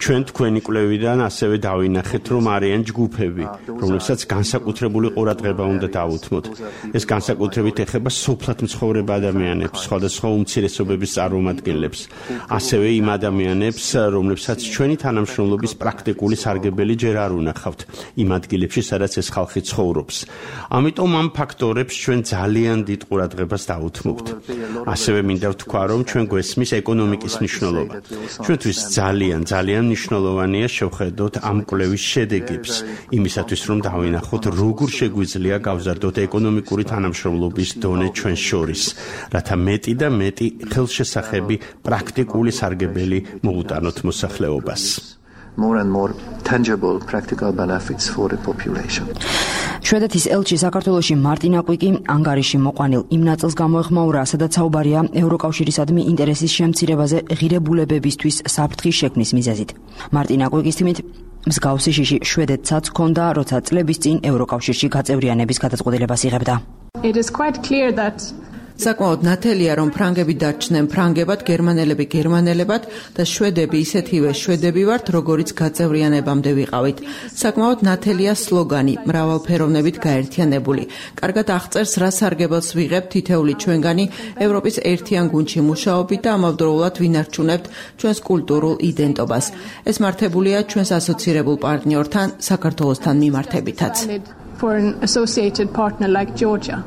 ჩვენ თქვენი კვლევიდან ასევე დავინახეთ, რომ არიან ჯგუფები, რომლებსაც განსაკუთრებული ყურადღება უნდა დავუთმოთ. ეს განსაკუთრებით ეხება სოფლად მცხოვრებ ადამიანებს, სხვადასხვა უმცირესობების წარმომადგენლებს, ასევე იმ ადამიანებს, რომლებსაც ჩვენი თანამშრომლობის პრაქტიკული სარგებელი ჯერ არ უნახავთ, იმ ადგილებში, სადაც ეს ხალხი ცხოვრობს. ამიტომ ამ ფაქტორებს ჩვენ ძალიან დიდ ყურადღებას დავუთმობთ. ასევე მინდა ვთქვა, რომ ჩვენ გვესმის ეკონომიკის მნიშვნელობა. ჩვენთვის ძალიან მნიშვნელოვანია შევხედოთ ამ კვლევის შედეგებს, იმისათვის რომ დავინახოთ, როგორ შეგვიძლია გავზარდოთ ეკონომიკური თანამშრომლობის დონე ჩვენ შორის, რათა მეტი და მეტი ხელშესახები პრაქტიკული სარგებელი მოუტანოთ მოსახლეობას. More and more tangible practical benefits for the population. შვედეთის ელჩი საქართველოში მარტინა კვიკი ანგარიში მოყვანილ იმ ნაწილს გამოეხმაურა, სადაც საუბარია ევროკავშირისადმი ინტერესის შემცირებაზე ღირებულებებისთვის საფრთხის შექმნის მიზეზით. მარტინა კვიკის თქმით, მსგავსი შიში შვედეთსაც ჰქონდა, როცა წლების წინ ევროკავშირში გაწევრიანების გადაწყვეტილებას იღებდა. It is quite clear that საკმაოდ ნათელია, რომ ფრანგები დარჩნენ ფრანგებად, გერმანელები გერმანელებად და შვედები ისეთივე შვედები ვართ, როგორიც გაწევრიანებამდე ვიყავით. საკმაოდ ნათელია სლოგანი მრავალფეროვნებით გაერთიანებული. კარგად აღწერს, რა სარგებელს ვიღებთ თითეული ჩვენგანი ევროპის ერთიან გუნდში მუშაობით და ამავდროულად ვინარჩუნებთ ჩვენს კულტურულ იდენტობას. ეს მართებულია ჩვენს ასოცირებულ პარტნიორთან, საქართველოსთან მიმართებითაც. For an associated partner like Georgia.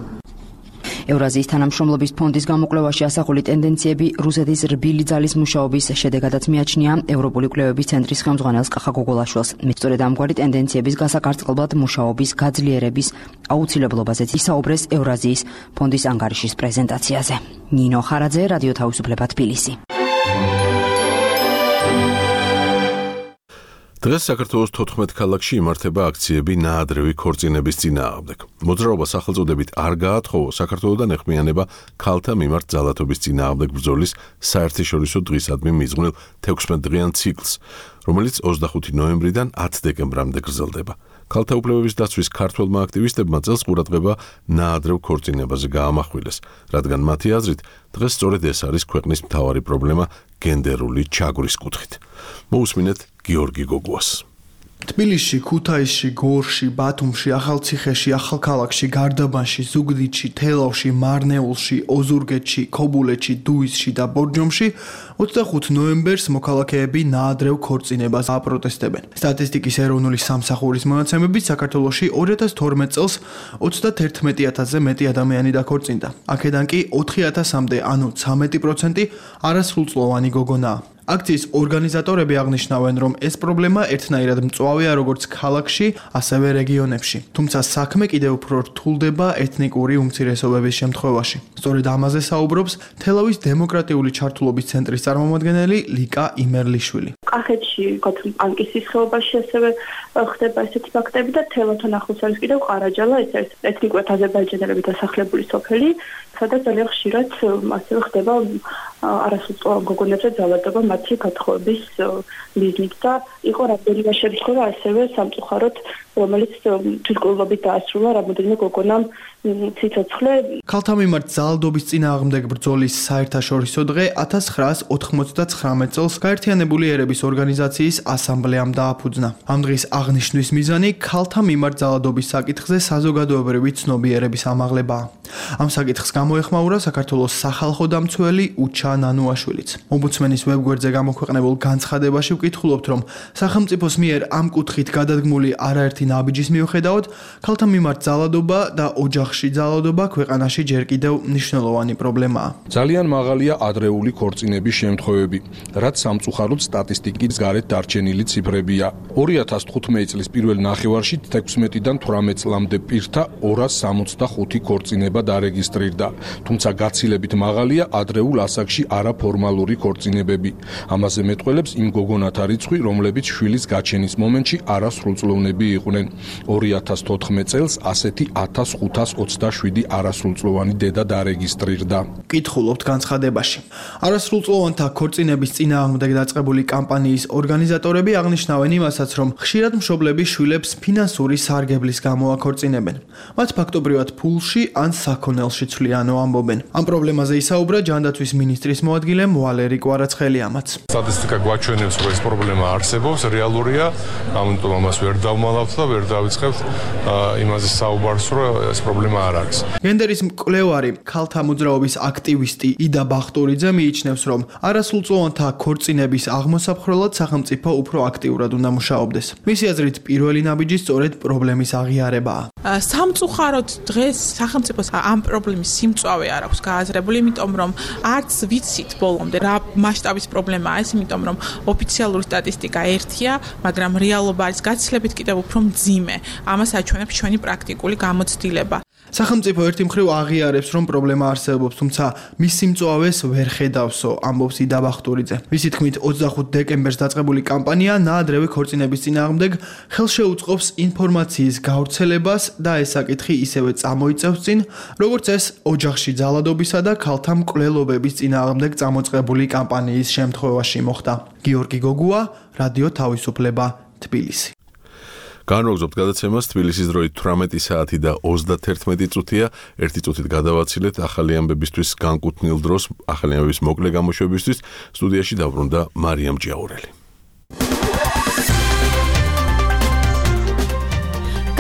ევრაზიის თანამშრომლობის ფონდის გამოკვლევაში ასახული ტენდენციები რუსეთის რბილი ძალის მუშაობის შედეგადაც მიაჩნია ევროპული კვლევების ცენტრის ხელმძღვანელს კახა გოგოლაშვილს. სწორედ ამგვარი ტენდენციების გასაკარწყლად მუშაობის გაძლიერების აუცილებლობაზეც ისაუბრეს ევრაზიის ფონდის ანგარიშის პრეზენტაციაზე. ნინო ხარაძე, რადიო თავისუფლება, თბილისი. დღეს საქართველოს 14 ქალაქში იმართება აქციები ნაადრევი ქორწინების წინააღმდეგ. მოძრაობა სახელწოდებით არ გაათხოვო საქართველოდან ეხმიანება ქალთა მიმართ ძალადობის წინააღმდეგ ბრძოლის საერთაშორისო დღისადმი მიძღვნილ 16-დღიან ციკლს, რომელიც 25 ნოემბრიდან 10 დეკემბრამდე გრძელდება. ქალთა უფლებების დაცვის ქართველმა აქტივისტებმა წელს ყურადღება ნაადრევ ქორწინებაზე გაამახვილეს, რადგან მათი აზრით დღეს სწორედ ეს არის ქვეყნის მთავარი პრობლემა გენდერული ჩაგვრის კუთხით. მოусმინეთ გიორგი გოგუას. თბილისში, ქუთაისში, გორში, ბათუმში, ახალციხეში, ახალქალაქში, გარდაბანში, ზუგდიდში, თელავში, მარნეულში, ოზურგეთში, ქობულეთში, დუისში და ბორჯომში 25 ნოემბერს მოქალაქეები ნაადრევ ქორწინებას აპროტესტებენ. სტატისტიკის ეროვნული სამსახურის მონაცემებით საქართველოში 2012 წელს 31000-ზე მეტი ადამიანი დაქორწინდა. აქედან კი 4000-მდე, ანუ 13% არასრულწლოვანი გოგონაა. აქციის ორგანიზატორები აღნიშნავენ, რომ ეს პრობლემა ერთნაირად მწვავეა როგორც ქალაქში, ასევე რეგიონებში. თუმცა საქმე კიდევ უფრო რთულდება ეთნიკური უმცირესობების შემთხვევაში. სწორედ ამაზე საუბრობს თელავის დემოკრატიული ჩართულობის ცენტრის წარმომადგენელი ლიკა იმერლიშვილი. კახეთში, ანკისის ხეობაში ასევე ხდება ესეთი ფაქტები და თელავთან ახლოს არის კიდევ ყარაჯალა, ეს არის ეთნიკურად აზერბაიჯანელები დასახლებული სოფელი, სადაც ძალიან ხშირად ასევე ხდება არასრულწლოვან გოგონებზე ძალადობა მათი გათხოვების მიზნით და იყო რამდენიმე შემთხვევა ასევე სამწუხაროდ, რომელიც თვითმკვლელობით დაასრულა რამოდენიმე გოგონამ ციცოცხლე. ქალთა მიმართ ძალადობის წინააღმდეგ ბრძოლის საერთაშორისო დღე 1999 წელს გაერთიანებული ერების ორგანიზაციის ასამბლეამ დააფუძნა. ამ დღის აღნიშვნის მიზანი ქალთა მიმართ ძალადობის საკითხზე საზოგადოებრივი ცნობიერების ამაღლებაა. ამ საკითხს გამოეხმაურა საქართველოს სახალხო დამცველი უჩა ნანუაშვილიც. ომბუდსმენის ვებგვერდზე გამოქვეყნებულ განცხადებაში ვკითხულობთ, რომ სახელმწიფოს მიერ ამ კუთხით გადადგმული არაერთი ნაბიჯის მიუხედავად, ქალთა მიმართ ძალადობა და ოჯახში ძალადობა ქვეყანაში ჯერ კიდევ მნიშვნელოვანი პრობლემაა. ძალიან მაღალია ადრეული ქორწინების შემთხვევები, რაც სამწუხაროდ სტატისტიკის გარეთ დარჩენილი ციფრებია. 2015 წლის პირველ ნახევარში 16-დან 18 წლამდე პირთა 265 ქორწინება დარეგისტრირდა, თუმცა გაცილებით მაღალია ადრეულ ასაკში არაფორმალური ქორწინებები. ამაზე მეტყველებს იმ გოგონათა რიცხვი, რომლებიც შვილის გაჩენის მომენტში არასრულწლოვნები იყვნენ. 2014 წელს ასეთი 1527 არასრულწლოვანი დედა დარეგისტრირდა. კითხულობთ განცხადებაში. არასრულწლოვანთა ქორწინების წინააღმდეგ დაწყებული კამპანიის ორგანიზატორები აღნიშნავენ იმასაც, რომ ხშირად მშობლები შვილებს ფინანსური სარგებლის გამო აქორწინებენ. მათ ფაქტობრივად ფულში ან საქონელში ცვლიანო ამბობენ. ამ პრობლემაზე ისაუბრა ჯანდაცვის მინისტრის მოადგილე ვალერი კვარაცხელიამაც. სტატისტიკა გვაჩვენებს, რომ ეს პრობლემა არსებობს, რეალურია, ამიტომ ამას ვერ დავმალავთ და ვერ დავიწყებთ იმაზე საუბარს, რომ ეს პრობლემა არ არის. გენდერის მკვლევარი, ქალთა მოძრაობის აქტივისტი იდა ბახტურიძე მიიჩნევს, რომ არასრულწლოვანთა ქორწინების აღმოსაფხრელად სახელმწიფო უფრო აქტიურად უნდა მუშაობდეს. მისი აზრით, პირველი ნაბიჯი სწორედ პრობლემის აღიარებაა. სამწუხაროდ დღეს სახელმწიფოს ამ პრობლემის სიმწვავე არ აქვს გააზრებული, იმიტომ რომ არც ვიცით ბოლომდე რა მასშტაბის პრობლემაა ეს, იმიტომ რომ ოფიციალური სტატისტიკა ერთია, მაგრამ რეალობა არის გაცილებით კიდევ უფრო მძიმე. ამას აჩვენებს ჩვენი პრაქტიკული გამოცდილება. სახელმწიფო ერთი მხრივ აღიარებს, რომ პრობლემა არსებობს, თუმცა მის სიმწვავეს ვერ ხედავსო, ამბობს იდა ბახტურიძე. მისი თქმით, 25 დეკემბერს დაწყებული კამპანია ნაადრევი ქორწინების წინააღმდეგ ხელშეუწყობს ინფორმაციის გავრცელებას და ეს საკითხი ისევე წამოიწევს წინ, როგორც ეს ოჯახში ძალადობისა და ქალთა მკვლელობების წინააღმდეგ წამოწყებული კამპანიის შემთხვევაში მოხდა. გიორგი გოგუა, რადიო თავისუფლება, თბილისი. განვაგრძობთ გადაცემას თბილისის დროით 18 საათი და 31 წუთია. ერთი წუთით გადავაცილეთ ახალი ამბებისთვის განკუთვნილ დროს, ახალი ამბების მოკლე გამოშვებისთვის. სტუდიაში დაბრუნდა მარიამ ჭიაურელი.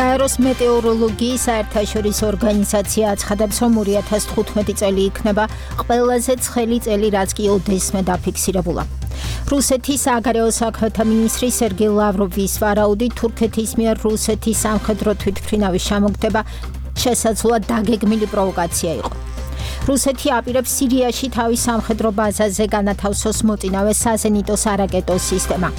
გაეროს მეტეოროლოგიის საერთაშორისო ორგანიზაცია აცხადებს, რომ 2015 წელი იქნება ყველაზე ცხელი წელი, რაც კი ოდესმე დაფიქსირებულა. რუსეთის საგარეო საქმეთა მინისტრი სერგეი ლავროვის ვარაუდით, თურქეთის მიერ რუსეთის სამხედრო თვითმფრინავის ჩამოგდება შესაძლოა დაგეგმილი პროვოკაცია იყო. რუსეთი აპირებს სირიაში თავის სამხედრო ბაზაზე განათავსოს მოწინავე საზენიტო სარაკეტო სისტემა.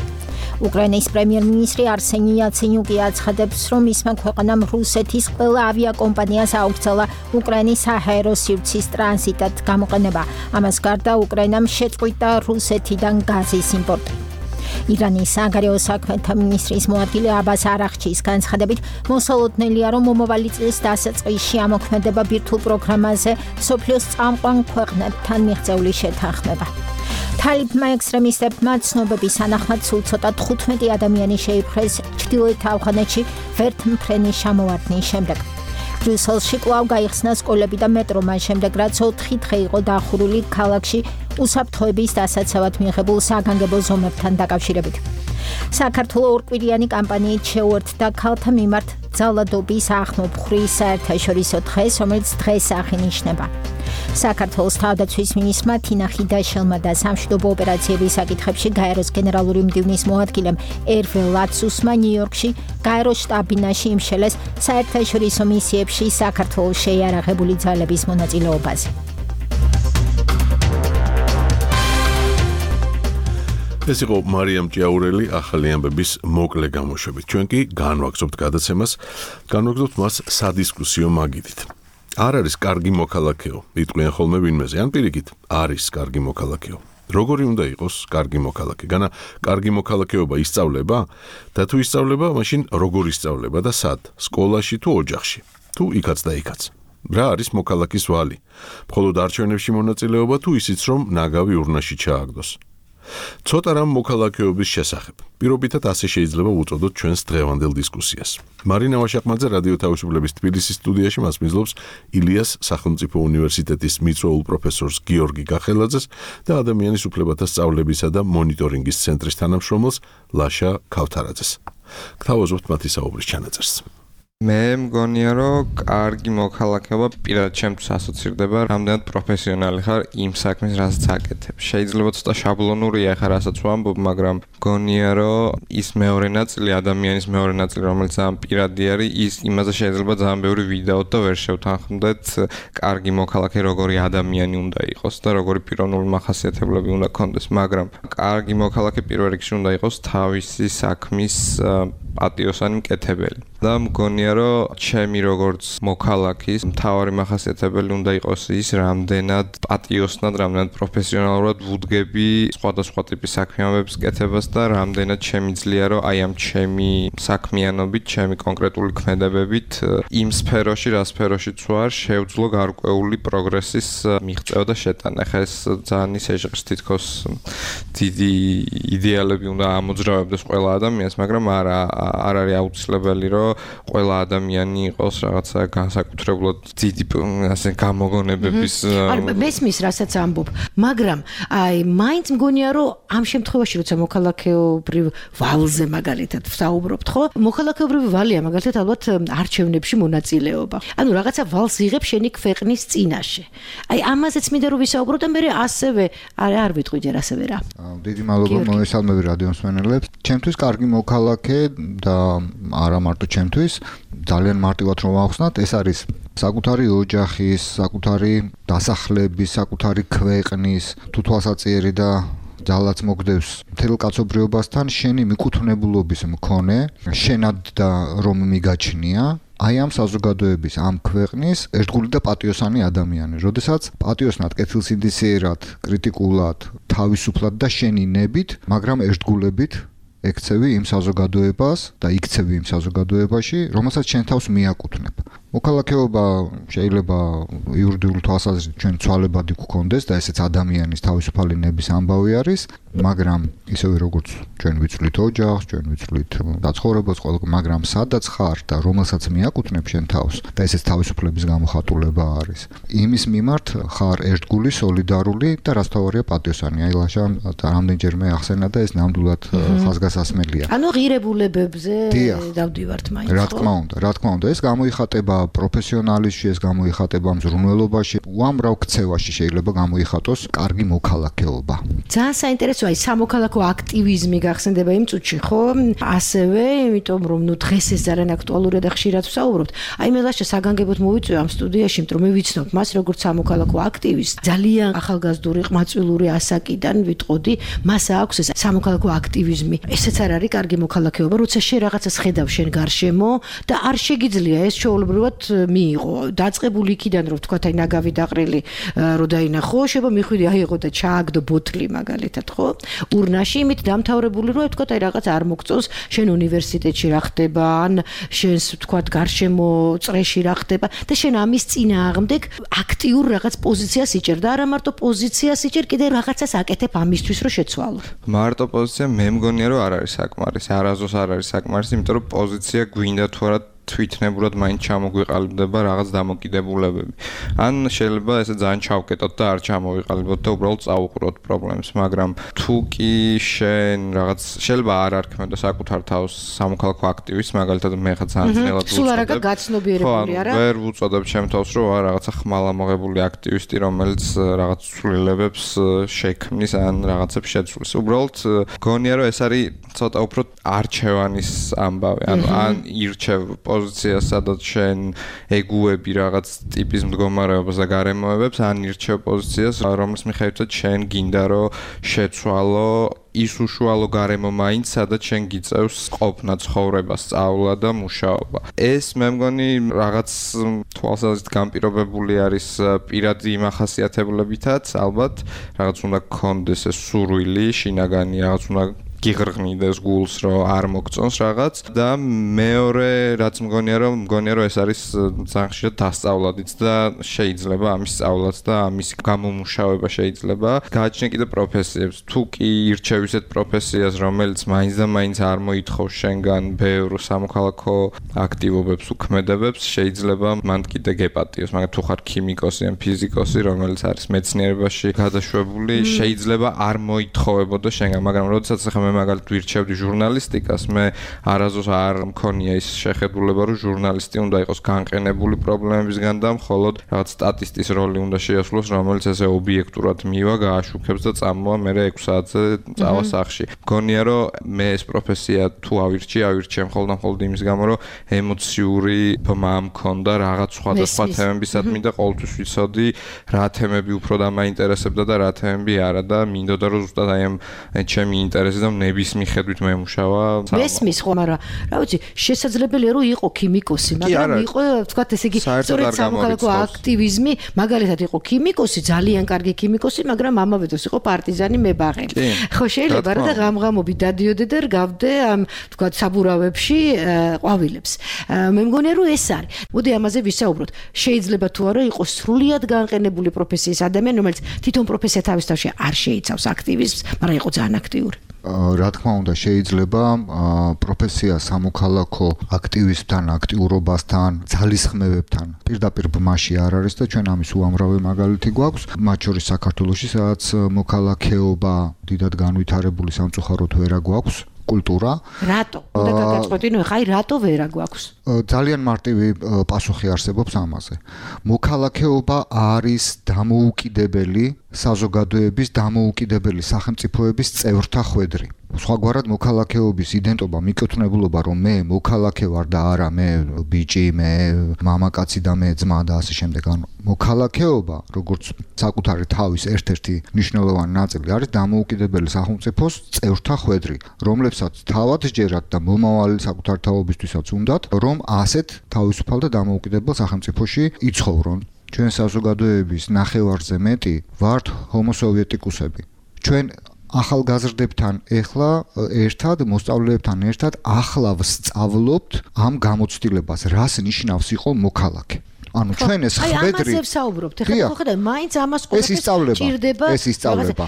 უკრაინის პრემიერ-მინისტრი არსენი იაცენიუკი აცხადებს, რომ მისმა ქვეყანამ რუსეთის ყველა ავიაკომპანიას აუქცელა უკრაინის საჰაერო სივრცის ტრანზიტად გამოყენება. ამას გარდა უკრაინამ შეწყვიტა რუსეთიდან გაზის იმპორტი. ირანის საგარეო საქმეთა მინისტრის მოადგილე აბას არახჩის განცხადებით, მოსალოდნელია, რომ მომავალი წლის დასაწყისში ამოქმედება ბირთვულ პროგრამაზე სოფლიოს წამყვან ქვეყნებთან მიღწეული შეთანხმება. თალიბმა ექსტრემისტებმა ცნობების თანახმად სულ ცოტა 15 ადამიანი შეიპყრეს ჩრდილოეთ ავღანეთში ვერთმფრენის ჩამოვარდნის შემდეგ. ბრიუსელში კვლავ გაიხსნა სკოლები და მეტრო მას შემდეგ, რაც 4 დღე იყო დახურული ქალაქში უსაფრთხოების დასაცავად მიიღებულ საგანგებო ზომებთან დაკავშირებით. საქართველოს ორკვირიანი კამპანიით შეუერთდა ქალთა მიმართ ძალადობის ახმოფხვრის საერთაშორისო დღეს, რომელიც დღეს აღინიშნება. საქართველოს თავდაცვის მინისტრმა თინა ხიდაშელმა და სამშვიდობო ოპერაციების საკითხებში გაეროს გენერალური მდივნის მოადგილემ ერვე ლაცუსმა ნიუ-იორკში გაეროს შტაბ-ბინაში იმშელეს საერთაშორისო მისიებში საქართველოს შეიარაღებული ძალების მონაწილეობაზე. ეს იყო მარიამ ჭიაურელი ახალი ამბების მოკლე გამოშვებით. ჩვენ კი განვაგრძობთ გადაცემას, განვაგრძობთ მას სადისკუსიო მაგიდით. არ არის კარგი მოქალაქეო, იტყვიან ხოლმე ვინმეზე, ან პირიქით, არის კარგი მოქალაქეო. როგორი უნდა იყოს კარგი მოქალაქე? განა კარგი მოქალაქეობა ისწავლება? და თუ ისწავლება, მაშინ როგორ ისწავლება და სად? სკოლაში თუ ოჯახში? თუ იქაც და იქაც? რა არის მოქალაქის ვალი? მხოლოდ არჩევნებში მონაწილეობა თუ ისიც, რომ ნაგავი ურნაში ჩააგდოს? ცოტა რამ მოქალაქეობის შესახებ. პირობითად ასე შეიძლება უწოდოთ ჩვენს დღევანდელ დისკუსიას. მარინა ვაშაყმაძე რადიო თავისუფლების თბილისის სტუდიაში მას მისლობს ილიას სახელმწიფო უნივერსიტეტის მიწვეულ პროფესორს გიორგი გახელაძეს და ადამიანის უფლებათა სწავლებისა და მონიტორინგის ცენტრის თანამშრომელს ლაშა ქავთარაძეს. გთავაზობთ მათი საუბრის ჩანაწერს. მე მგონია რომ კარგი მოქალაქეობა პირადად ჩემთვის ასოცირდება რამდენად პროფესიონალი ხარ იმ საქმის რასაც აკეთებ. შეიძლება ცოტა შაბლონურია ხარ რასაც ვამბობ, მაგრამ მგონია რომ ის მეორე ნაწილი ადამიანის მეორე ნაწილი რომელიც ამ პირადი არის ის იმაზე შეიძლება ძალიან ბევრი ვიდეოთ და ვერ შევთანხმდეთ კარგი მოქალაქე როგორი ადამიანი უნდა იყოს და როგორი პიროვნული მახასიათებლები უნდა ქონდეს, მაგრამ კარგი მოქალაქე პირველ რიგში უნდა იყოს თავისი საქმის პატიოსანი მკეთებელი. და მგონია რომ ჩემი როგორც მოქალაქის მთავარი მახასიათებელი უნდა იყოს ის რამდენად პატიოსნად, რამდენად პროფესიონალურად ვუდგები სხვადასხვა ტიპის საქმიანობების კეთებას და რამდენად შემიძლია რომ აი ამ ჩემი საქმიანობით, ჩემი კონკრეტული ქმედებებით იმ სფეროში, რა სფეროშიც ვარ, შევძლო გარკვეული პროგრესის მიღწევა და შეტანა. ხა ეს ძალიან ისე ჟღერს თითქოს დიდი იდეალები უნდა ამოძრავებდეს ყველა ადამიანს, მაგრამ არ არის აუცილებელი რომ ყველა ადამიანი იყოს რაღაცა განსაკუთრებულად დიდი ასე გამოგონებების მესმის რასაც ამბობ, მაგრამ აი მაინც მგონია რომ ამ შემთხვევაში როცა მოქალაქეობრივ ვალზე მაგალითად ვსაუბრობთ, ხო? მოქალაქეობრივი ვალია მაგალითად ალბათ არჩევნებში მონაწილეობა. ანუ რაღაცა ვალს იღებ შენი ქვეყნის წინაშე. აი ამაზეც მინდა რომ ვისაუბროთ და მე ასევე არ ვიტყვი ჯერ ასევე რა. დიდი მადლობა მოგესალმები რადიომსმენელებს. ჩემთვის კარგი მოქალაქე და არა მარტო ჩემთვის ძალიან მარტივად რომ ავხსნათ, ეს არის საკუთარი ოჯახის, საკუთარი დასახლების, საკუთარი ქვეყნის თუ თვალსაჩინო და ძალაც მოგდევს მთელ კაცობრიობასთან შენი მიკუთვნებულობის მქონე, შენად და რომ მიგაჩნია აი ამ საზოგადოების, ამ ქვეყნის ერთგული და პატიოსანი ადამიანი, როდესაც პატიოსნად, კეთილსინდისიერად, კრიტიკულად, თავისუფლად და შენი ნებით, მაგრამ ერთგულებით ექცევი იმ საზოგადოებას და იქცევი იმ საზოგადოებაში, რომელსაც შენ თავს მიაკუთვნებ. მოქალაქეობა შეიძლება იურიდიული თვალსაზრისით ჩვენ ცვალებადი გვქონდეს და ესეც ადამიანის თავისუფალი ნების ამბავი არის, მაგრამ ისევე როგორც ჩვენ ვიცვლით ოჯახს, ჩვენ ვიცვლით დაცხოვრებას, მაგრამ სადაც ხარ და რომელსაც მიაკუთვნებ შენ თავს და ესეც თავისუფლების გამოხატულება არის. იმის მიმართ ხარ ერთგული, სოლიდარული და რაც თავარია პატიოსანი. აი ლაშან რამდენჯერმე ახსენა და ეს ნამდვილად ხაზგასასმელია. ანუ ღირებულებებზე დავდივართ მაინც. რა თქმა უნდა, ეს გამოიხატება პროფესიონალიზმში, ეს გამოიხატება მზრუნველობაში, უამრავ ქცევაში შეიძლება გამოიხატოს კარგი მოქალაქეობა. ძალიან საინტერესოა ის სამოქალაქო აქტივიზმი გახსენდება იმ წუთში, ხო? ასევე, იმიტომ რომ დღეს ეს ძალიან აქტუალურია და ხშირად ვსაუბრობთ. აი მე ლაშა საგანგებოდ მოვიწვევ ამ სტუდიაში, იმიტომ რომ მე ვიცნობ მას როგორც სამოქალაქო აქტივისტს. ძალიან ახალგაზრდული, ყმაწვილური ასაკიდან ვიტყოდი, მას აქვს ეს სამოქალაქო აქტივიზმი. ესეც არ არის კარგი მოქალაქეობა, როცა შენ რაღაცას ხედავ შენ გარშემო და არ შეგიძლია ეს ჩვეულებრივად მიიღო. დაწყებული იქიდან რომ თქვა აი ნაგავი დაყრილი რო დაინახო, შეიძლება მიხვიდე აიღო და ჩააგდო ბოთლი მაგალითად, ხო? ურნაში იმით დამთავრებული რომ თქვა აი რაღაც არ მოგწონს, შენ უნივერსიტეტში რა ხდება, ან შენს თქვა გარშემო წრეში რა ხდება და შენ ამის წინააღმდეგ აქტიურ რაღაც პოზიციას იჭერ და არა მარტო პოზიციას იჭერ, კიდე რაღაცას აკეთებ ამისთვის რომ შეცვალო. მარტო პოზიცია მე მგონია რომ არ არის საკმარისი, არასდროს არ არის საკმარისი, იმიტომ რომ პოზიცია გვინდა თუ არა თვითნებურად მაინც ჩამოგვიყალიბდება რაღაც დამოკიდებულებები. ან შეიძლება ესე ძალიან ჩავკეტოთ და არ ჩამოვიყალიბოთ და უბრალოდ წავუყუროთ პრობლემებს, მაგრამ თუ კი შენ რაღაც შეიძლება არ არქმევდე საკუთარ თავს სამოქალაქო აქტივისტს, მაგალითად მე ხა ძალიან ძნელად ვუწოდებ. სულ არაკა გაცნობიერებული არა? ვერ ვუწოდებ ჩემ თავს რომ ვარ რაღაცა ხმალამოღებული აქტივისტი, რომელიც რაღაც ცვლილებებს შექმნის ან რაღაცებს შეცვლის. უბრალოდ გონია რომ ეს არის ცოტა უფრო არჩევანის ამბავი, ანუ ან ირჩევ პოზიციას, სადაც შენ ეგუები რაღაც ტიპის მდგომარეობას და გარემოებებს, ან ირჩევ პოზიციას, რომლის მიხედვითაც შენ გინდა რომ შეცვალო ის უშუალო გარემო მაინც, სადაც შენ გიწევს ყოფნა, ცხოვრება, სწავლა და მუშაობა. ეს მე მგონი რაღაც თვალსაზრისით განპირობებული არის პირადი მახასიათებლებითაც, ალბათ რაღაც უნდა გქონდეს ეს სურვილი, შინაგანი რაღაც უნდა გიღრღნიდეს გულს, რომ არ მოგწონს რაღაც და მეორე რაც მგონია რომ ეს არის ძალიან ხშირად დასწავლადიც და შეიძლება ამის სწავლაც და ამის გამომუშავება შეიძლება. გააჩნია კიდე პროფესიებს. თუ კი ირჩევ ისეთ პროფესიას, რომელიც მაინც და მაინც არ მოითხოვს შენგან ბევრ სამოქალაქო აქტივობებს, უქმედებებს, შეიძლება მან კიდე გეპატიოს. მაგრამ თუ ხარ ქიმიკოსი ან ფიზიკოსი, რომელიც არის მეცნიერებაში გადაშვებული, შეიძლება არ მოითხოვებოდა შენგან, მაგრამ როდესაც ახლა მე მაგალითად ვირჩევდი ჟურნალისტიკას, მე არასდროს არ მქონია ის შეხედულება, რომ ჟურნალისტი უნდა იყოს განყენებული პრობლემებისგან და მხოლოდ რაღაც სტატისტის როლი უნდა შეასრულოს, რომელიც ესე ობიექტურად მივა, გააშუქებს და წამოვა მერე 6 საათზე წავა სახლში. მგონია, რომ მე ეს პროფესია თუ ავირჩიე მხოლოდ იმის გამო, რომ ემოციური ბმა მქონდა რაღაც სხვადასხვა თემებისადმი და ყოველთვის ვიცოდი რა თემები უფრო დამაინტერესებდა და რა თემები არა და მინდოდა რომ ზუსტად აი ამ ჩემი ინტერესი და ნების მიხედვით მემუშავა. მესმის ხო, მაგრამ რა ვიცი, შესაძლებელია რომ იყო ქიმიკოსი, მაგრამ იყო თქვა ესე იგი სწორედ სამოქალაქო აქტივიზმი, მაგალითად იყო ქიმიკოსი, ძალიან კარგი ქიმიკოსი, მაგრამ ამავე დროს იყო პარტიზანი მებაღე. ხო შეიძლება რა და ღამღამობით დადიოდე და რგავდე ამ თქვა საბურავებში ყვავილებს. მე მგონია რომ ეს არის. მოდი ამაზე ვისაუბროთ. შეიძლება თუ არა იყოს სრულიად განყენებული პროფესიის ადამიანი, რომელიც თვითონ პროფესია თავის თავში არ შეიცავს აქტივიზმს, მაგრამ იყო ძალიან აქტიური. რა თქმა უნდა, შეიძლება პროფესია სამოქალაქო აქტივისტთან, აქტიურობასთან, ძალისხმევებთან პირდაპირ ბმაში არ არის და ჩვენ ამის უამრავი მაგალითი გვაქვს, მათ შორის საქართველოში, სადაც მოქალაქეობა დიდად განვითარებული სამწუხაროდ ვერა გვაქვს. კულტურა. რატო? უნდა გაგაწყვეტინო, ხაი რატო ვერა გვაქვს? ძალიან მარტივი პასუხი არსებობს ამაზე. მოქალაქეობა არის დამოუკიდებელი საზოგადოების, დამოუკიდებელი სახელმწიფოების წევრთა ხვედრი. სხვაგვარად მოქალაქეობის იდენტობა, მიკუთვნებულობა, რომ მე მოქალაქე ვარ და არა მე ბიჭი, მე მამაკაცი და მე ძმა და ასე შემდეგ. ანუ მოქალაქეობა, როგორც საკუთარი თავის ერთ-ერთი მნიშვნელოვანი ნაწილი არის დამოუკიდებელი სახელმწიფოს წევრთა ხვედრი, რომლებსაც თავად სჯერათ და მომავალი საკუთარი თაობისთვისაც უნდათ, რომ ასეთ თავისუფალ და დამოუკიდებელ სახელმწიფოში იცხოვრონ. ჩვენ საზოგადოების ნახევარზე მეტი ვართ ჰომოსოვიეტიკუსები. ჩვენ ახალგაზრდებთან ეხლა ერთად, მოსწავლეებთან ერთად ახლა ვსწავლობთ ამ გამოცდილებას, რას ნიშნავს იყო მოქალაქე. ანუ ჩვენ ეს ხვედრი. აი ამაზე ვსაუბრობთ. ეხლა ხო ხედავ, მაინც ამას ყოველთვის ჭირდება. ეს ისწავლება.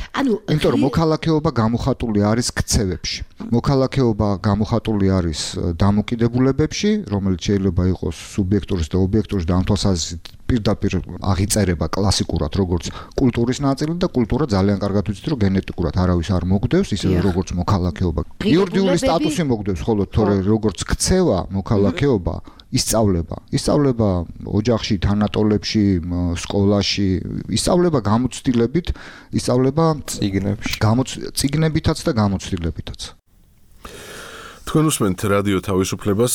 იმიტომ რომ მოქალაქეობა გამოხატული არის ქცევებში. მოქალაქეობა გამოხატული არის დამოკიდებულებებში, რომელიც შეიძლება იყოს სუბიექტურის და ობიექტურის და ამ თვალსაზრისით პირდაპირ აღიწერება კლასიკურად როგორც კულტურის ნაწილი და კულტურა ძალიან კარგად ვიცით რომ გენეტიკურად არავის არ მოგდევს ისე როგორც მოქალაქეობა. იურიდიული სტატუსი მოგდევს, ხოლო თორე როგორც ქცევა მოქალაქეობა ისწავლება ოჯახში, თანატოლებში, სკოლაში, ისწავლება გამოცდილებით, ისწავლება წიგნებში. წიგნებითაც და გამოცდილებითაც. თქვენ უსმენთ რადიო თავისუფლებას,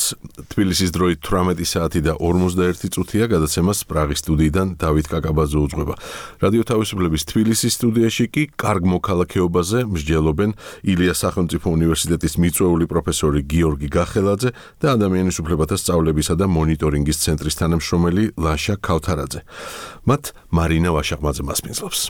თბილისის დროით 18 საათი და 41 წუთია, გადაცემას პრაღის სტუდიიდან დავით კაკაბაძე უძღვება. რადიო თავისუფლების თბილისის სტუდიაში კი კარგ მოქალაქეობაზე მსჯელობენ ილიას სახელმწიფო უნივერსიტეტის მიწვეული პროფესორი გიორგი გახელაძე და ადამიანის უფლებათა სწავლებისა და მონიტორინგის ცენტრის თანამშრომელი ლაშა ქავთარაძე. მათ მარინა ვაშაყმაძე მასპინძლობს.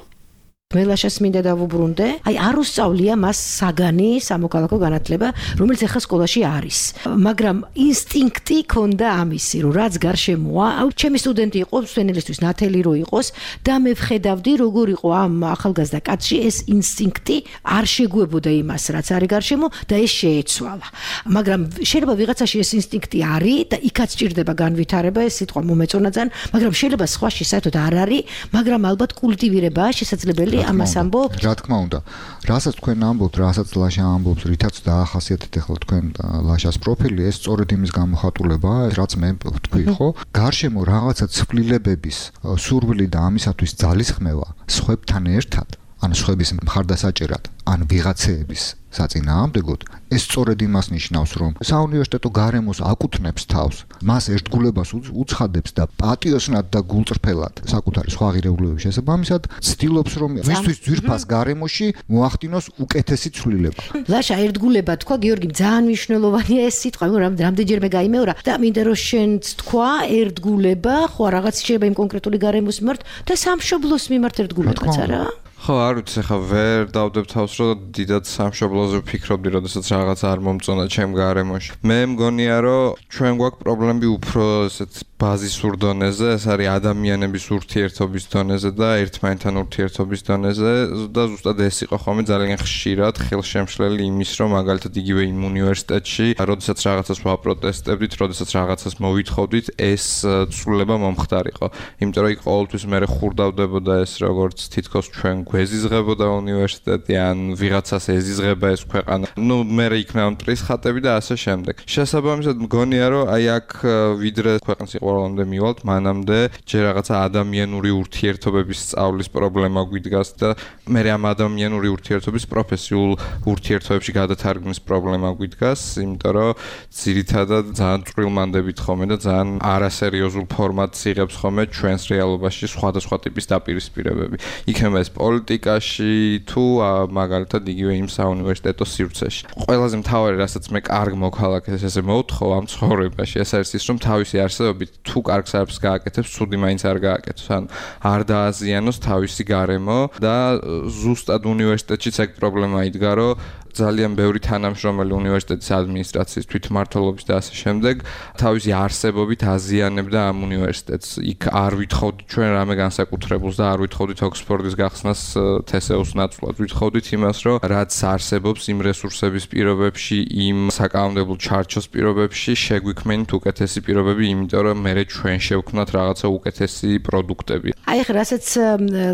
მელაშას მინდა დავუბრუნდე. აი არ უსწავლია მას საგანი სამოქალაქო განათლება, რომელიც ახლა სკოლაში არის. მაგრამ ინსტინქტი ქონდა ამისი, რომ რაც გარშემოა, ჩემი სტუდენტი იყო, სვენელისთვის ნათელი რო იყოს და მე ვხედავდი, როგორ იყო ამ ახალგაზრდა კაცში ეს ინსტინქტი არ შეგვებოდა იმას, რაც არის გარშემო და ეს შეეცვალა. მაგრამ შეიძლება ვიღაცაში ეს ინსტინქტი არის და იქაც ჭირდება განვითარება, ეს სიტყვა მომეწონა ძალიან, მაგრამ შეიძლება სხვაში საერთოდ არ არის, მაგრამ ალბათ კულტივირებაა შესაძლებელი ამას ამბობთ? რა თქმა უნდა. რასაც თქვენ ამბობთ, რასაც ლაშა ამბობს, რითაც დაახასიათეთ ახლა თქვენ ლაშას პროფილი, ეს სწორედ იმის გამოხატულებაა, რაც მე ვთქვი, ხო? გარშემო რაღაცა ცვლილებების სურვილი და ამისათვის ძალისხმევა სხვებთან ერთად, ან სხვების მხარდასაჭერად, ან ვიღაცეების საწინააღმდეგოდ, ეს სწორედ იმას ნიშნავს, რომ საუნივერსიტეტო გარემოს აკუთვნებს თავს, მას ერთგულებას უცხადებს და პატიოსნად და გულწრფელად საკუთარი სხვა ღირებულებების შესაბამისად ცდილობს, რომ მისთვის ძვირფას გარემოში მოახდინოს უკეთესი ცვლილება. ლაშა ერთგულება თქვა, გიორგი, ძალიან მნიშვნელოვანია ეს სიტყვა, რამდენჯერმე გაიმეორა და მინდა რომ შენც თქვა ერთგულება, ხო რაღაც შეიძლება იმ კონკრეტული გარემოს მიმართ და სამშობლოს მიმართ ერთგულებაც არა? ხო, არ ვიცი, ხა ვერ დავდებ თავს, რომ დიდად სამშობლოზე ვფიქრობდი, როდესაც რაღაც არ მომწონა ჩემ გარემოში. მე მგონია, რომ ჩვენ გვაქვს პრობლემები უფრო ესეთ ბაზისურ დონეზე, ეს არის ადამიანების ურთიერთობის დონეზე და ერთმანეთთან ურთიერთობის დონეზე და ზუსტად ეს იყო ხოლმე ძალიან ხშირად ხელშემშლელი იმის, რომ მაგალითად იგივე იმ უნივერსიტეტში, როდესაც რაღაცას ვაპროტესტებდით, როდესაც რაღაცას მოვითხოვდით, ეს ცვლილება მომხდარიყო. იმიტომ რომ იქ ყოველთვის მე ხურდავდებოდა ეს როგორც თითქოს ჩვენ გვეზიზღებოდა უნივერსიტეტი ან ვიღაცას ეზიზღება ეს ქვეყანა. მე იქნა მტრის ხატები და ასე შემდეგ. შესაბამისად მგონია რომ აი აქ ვიდრე ქვეყნის სიყვარულამდე მივალთ, მანამდე ჯერ რაღაცა ადამიანური ურთიერთობების სწავლის პრობლემა გვიდგას და მე ამ ადამიანური ურთიერთობის პროფესიულ ურთიერთობებში გადათარგმნის პრობლემა გვიდგას, იმიტომ რომ ძირითადად ძალიან წვრილმანდებით ხოლმე და ძალიან არასერიოზულ ფორმატს იღებს ხოლმე ჩვენს რეალობაში სხვადასხვა ტიპის დაპირისპირებები. იქნება ეს პოლიტიკაში თუ მაგალითად იგივე იმ საუნივერსიტეტო სივრცეში. ყველაზე მთავარი, რასაც მე კარგ მოქალაქეს ესე მოვთხოვ ამ ცხოვრებაში, ეს არის ის, რომ თავისი არსებობით თუ კარგს არაფერს გააკეთებს, ცუდი მაინც არ გააკეთოს. ან არ დააზიანოს თავისი გარემო და ზუსტად უნივერსიტეტშიც ეგ პრობლემა იდგა, რომ ძალიან ბევრი თანამშრომელი უნივერსიტეტის ადმინისტრაციის თვითმმართველობის და ასე შემდეგ თავისი არსებობით აზიანებდა ამ უნივერსიტეტს. იქ არ ვითხოვდით ჩვენ რამე განსაკუთრებულს და არ ვითხოვდით ოქსფორდის გახსნას თესეუს ნაცვლად. ვითხოვდით იმას, რომ რაც არსებობს იმ რესურსების პირობებში, იმ საკანონმდებლო ჩარჩოს პირობებში შეგვიქმნით უკეთესი პირობები, იმიტომ რომ მე ჩვენ შევქმნათ რაღაცა უკეთესი პროდუქტები. აი ხა რასაც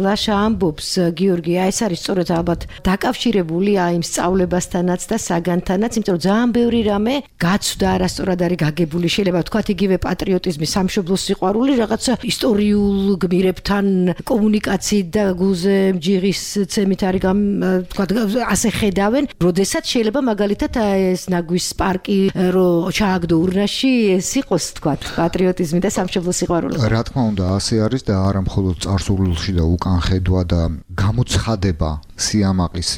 ლაშა ამბობს გიორგი, აი ეს არის სწორედ ალბათ დაკავშირებულია იმ სწავლებასთანაც და საგანთანაც, იმიტომ რომ ძალიან ბევრი რამე გაცვდა არასწორად არის გაგებული, შეიძლება ვთქვათ იგივე პატრიოტიზმი, სამშობლოს სიყვარული, რაღაცა ისტორიულ გმირებთან კომუნიკაციით და გულზე ჯიღის ცემით არის ვთქვათ ასე ხედავენ, როდესაც შეიძლება მაგალითად ეს ნაგვის პარკი რო ჩააგდო ურნაში, ეს იყოს ვთქვათ პატრიოტიზმი და სამშობლოს სიყვარული. რა თქმა უნდა, ასე არის და არა მხოლოდ წარსულში და უკან ხედვა და გამოცხადება სიამაყის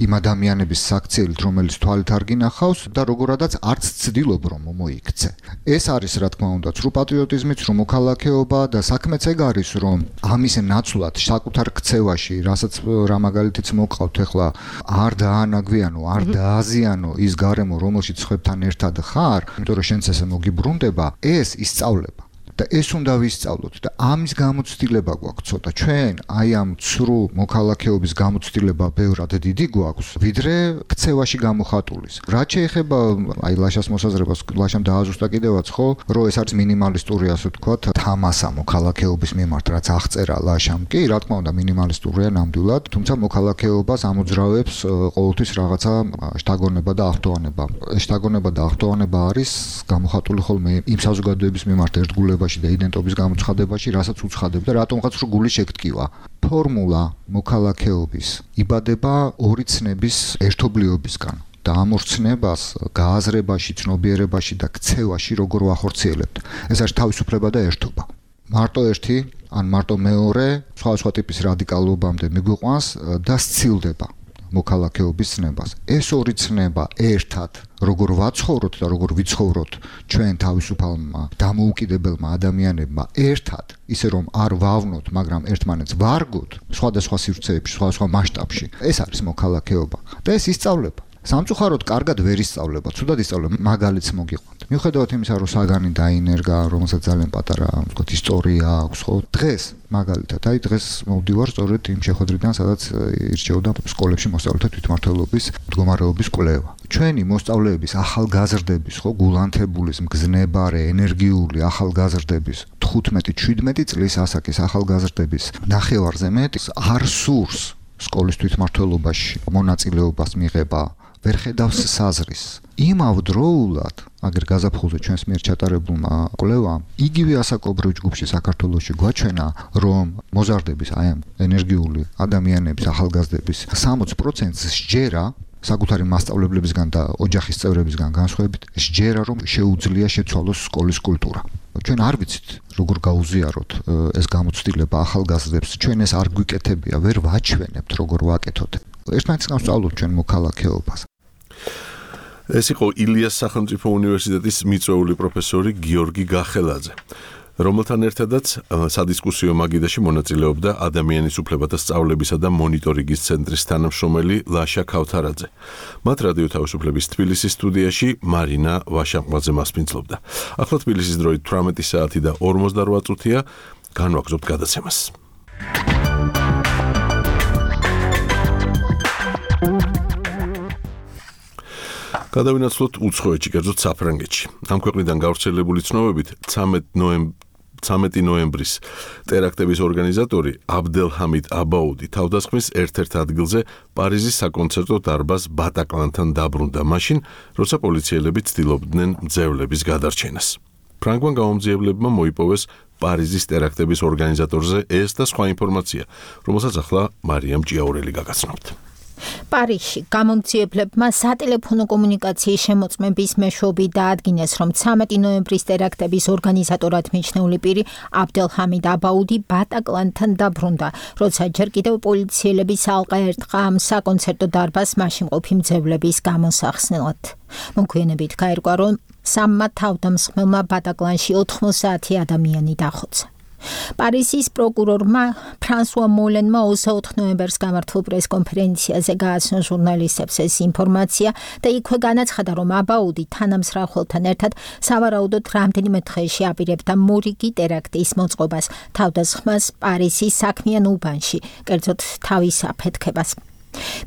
იმ ადამიანების საქციელით, რომელიც თვალით არ გინახავს და როგორადაც არც ცდილობ რომ მოიქცე. ეს არის რა თქმა უნდა ცრუ პატრიოტიზმიც, ცრუ მოქალაქეობა და საქმეც ეგ არის, რომ ამის ნაცვლად საკუთარ ქცევაში, რასაც რა მაგალითიც მოგყავთ ახლა, არ დაანაგვიანო, არ დააზიანო ის გარემო, რომელშიც ხებთან ერთად ხარ, იმიტომ რომ შენც ესე მოგიბრუნდება, ეს ისწავლება. და ეს უნდა ვისწავლოთ და ამის გამოცდილება გვაქვს ცოტა. ჩვენ აი ამ ცრუ მოქალაქეობის გამოცდილება ბევრად დიდი გვაქვს, ვიდრე ქცევაში გამოხატულის. რაც შეეხება აი ლაშას მოსაზრებას, ლაშამ დააზუსტა კიდევაც, ხო, რომ ეს არის მინიმალისტური, ასე ვთქვათ, თამასა მოქალაქეობის მიმართ, რაც აღწერა ლაშამ. კი, რა თქმა უნდა, მინიმალისტურია ნამდვილად, თუმცა მოქალაქეობას ამოძრავებს ყოველთვის რაღაცა შთაგონება და ახტოვანება. შთაგონება და ახტოვანება არის გამოხატული ხოლმე იმ საზოგადოების მიმართ ერთგულება და იდენტობის გამოცხადებაში, რასაც უცხადებდა, რატომღაც რო გული შეგტკივა. ფორმულა მოქალაქეობის იბადება ორი ცნების ერთობლიობისგან და ამ ორ ცნებას გააზრებაში, ცნობიერებაში და ქცევაში როგორ ვახორციელებთ. ეს არის თავისუფლება და ერთობა. მარტო ერთი, ან მარტო მეორე, სხვა ტიპის რადიკალობამდე მიგვიყვანს და სცილდება მოქალაქეობის ცნებას. ეს ორი ცნება ერთად როგორ ვაცხოვროთ და როგორ ვიცხოვროთ ჩვენ თავისუფალმა დამოუკიდებელმა ადამიანებმა ერთად, ისე რომ არ ვავნოთ, მაგრამ ერთმანეთს ვარგოთ სხვადასხვა სივრცეებში, სხვადასხვა მასშტაბში. ეს არის მოქალაქეობა და ეს ისწავლება. სამწუხაროდ კარგად ვერ ისწავლება, ცუდად ისწავლება, მაგალითს მოგიყვანთ. მიუხედავად იმისა, რომ საგანი დაინერგა, რომელსაც ძალიან პატარა, ვთქვათ, ისტორია აქვს, ხო? დღეს მაგალითად, აი დღეს მოვდივარ სწორედ იმ შეხვედრიდან, სადაც ირჩეოდა სკოლებში მოსწავლეთა თვითმმართველობის მდგომარეობის კვლევა. ჩვენი მოსწავლეების ახალგაზრდების, ხო, გულანთებულის, მგზნებარე, ენერგიული ახალგაზრდების 15-17 წლის ასაკის ახალგაზრდების ნახევარზე მეტი არ სურს სკოლის თვითმმართველობაში მონაწილეობას მიღება, ვერ ხედავს საზრისს. იმავდროულად, აგერ გაზაფხულზე ჩვენს მიერ ჩატარებულმა კვლევამ, იგივე ასაკობრივ ჯგუფში საქართველოში გვაჩვენა, რომ მოზარდების აი ამ ენერგიული ადამიანების, ახალგაზრდების 60%-ს სჯერა საკუთარი მასწავლებლებისგან და ოჯახის წევრებისგან განსხვავებით, სჯერა რომ შეუძლია შეცვალოს სკოლის კულტურა. ჩვენ არ ვიცით როგორ გაუზიაროთ ეს გამოცდილება ახალგაზრდებს, ჩვენ ეს არ გვიკეთებია, ვერ ვაჩვენებთ როგორ ვაკეთოთ. ერთმანეთისგან ვსწავლობთ ჩვენ მოქალაქეობას. ეს იყო ილიას სახელმწიფო უნივერსიტეტის მიწვეული პროფესორი გიორგი გახელაძე. რომელთან ერთადაც სადისკუსიო მაგიდაში მონაწილეობდა ადამიანის უფლებათა სწავლებისა და მონიტორინგის ცენტრის თანამშრომელი ლაშა ქავთარაძე. მათ რადიო თავისუფლების თბილისის სტუდიაში მარინა ვაშაყმაძე მასპინძლობდა. ახლა თბილისის დროით 18 საათი და 48 წუთია, განვაგრძობთ გადაცემას. გადავინაცვლოთ უცხოეთში, კერძოდ საფრანგეთში. ამ ქვეყნიდან გავრცელებული ცნობებით 13 ნოემბრის ტერაქტების ორგანიზატორი აბდელჰამიდ აბაუდი თავდასხმის ერთ-ერთ ადგილზე პარიზის საკონცერტო დარბაზ ბატაკლანთან დაბრუნდა მაშინ, როცა პოლიციელები ცდილობდნენ მძევლების გადარჩენას. ფრანგმა გამომძიებლებმა მოიპოვეს პარიზის ტერაქტების ორგანიზატორზე ეს და სხვა ინფორმაცია, რომელსაც ახლა მარიამ ჭიაურელი გაგაცნობთ. პარიზში გამომძიებლებმა სატელეფონო კომუნიკაციის შემოწმების მეშვეობით დაადგინეს, რომ 13 ნოემბრის ტერაქტების ორგანიზატორად მიჩნეული პირი აბდელჰამიდ აბაუდი ბატაკლანთან დაბრუნდა, როცა ჯერ კიდევ პოლიციელები ალყა ერტყა ამ საკონცერტო დარბაზს მასშიმყოფი მძევლების გამოსახსნელად. მოგვიანებით გაირკვა, რომ სამმა თავდამსხმელმა ბატაკლანში 90 ადამიანი დახოცა. პარიზის პროკურორმა ფრანსუა მოლენმა 24 ნოემბერს გამართულ პრესკონფერენციაზე გააცნო ჟურნალისტებს ეს ინფორმაცია და იქვე განაცხადა, რომ აბაუდი თანამსხმელთან ერთად სავარაუდოდ რამდენიმე დღეში აპირებდა მორიგი ტერაქტის მოწყობას, თავდასხმას პარიზის საქმიან უბანში, კერძოდ თავის აფეთქებას.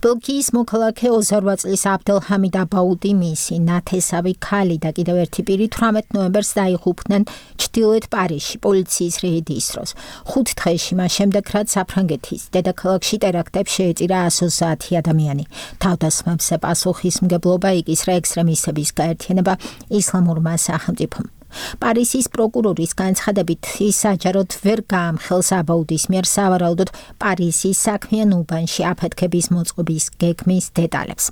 ბელგიის მოქალაქე 28 წლის აბდელჰამიდ აბაუდი, მისი ნათესავი ქალი და კიდევ ერთი პირი 18 ნოემბერს დაიღუპნენ ჩრდილოეთ პარიზში პოლიციის რეიდის დროს. 5 დღეში მას შემდეგ, რაც საფრანგეთის დედაქალაქში ტერაქტებს შეეწირა 130 ადამიანი. თავდასხმებზე პასუხისმგებლობა იკისრა ექსტრემისტების გაერთიანება ისლამურმა სახელმწიფომ. პარიზის პროკურორის განცხადებით, ის საჯაროდ ვერ გაამხელს აბაუდის მიერ სავარაუდოდ პარიზის საქმიან უბანში აფეთქების მოწყობის გეგმის დეტალებს.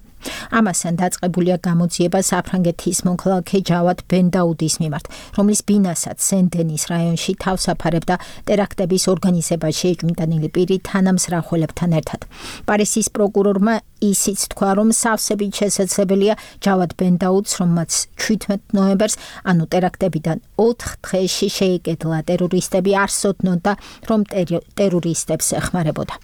ამასთან დაწყებულია გამოძიება საფრანგეთის მოქალაქე ჯავად ბენდაუდის მიმართ, რომლის ბინასაც სენ-დენის რაიონში თავს აფარებდა ტერაქტების ორგანიზებაში ეჭვმიტანილი პირი თანამსხმელებთან ერთად. პარიზის პროკურორმა ისიც თქვა, რომ სავსებით შესაძლებელია ჯავად ბენდაუდს, რომელმაც 17 ნოემბერს, ანუ ტერაქტებიდან 4 დღეში შეიკედლა ტერორისტები, არ სცოდნოდა, რომ ტერორისტებს ეხმარებოდა.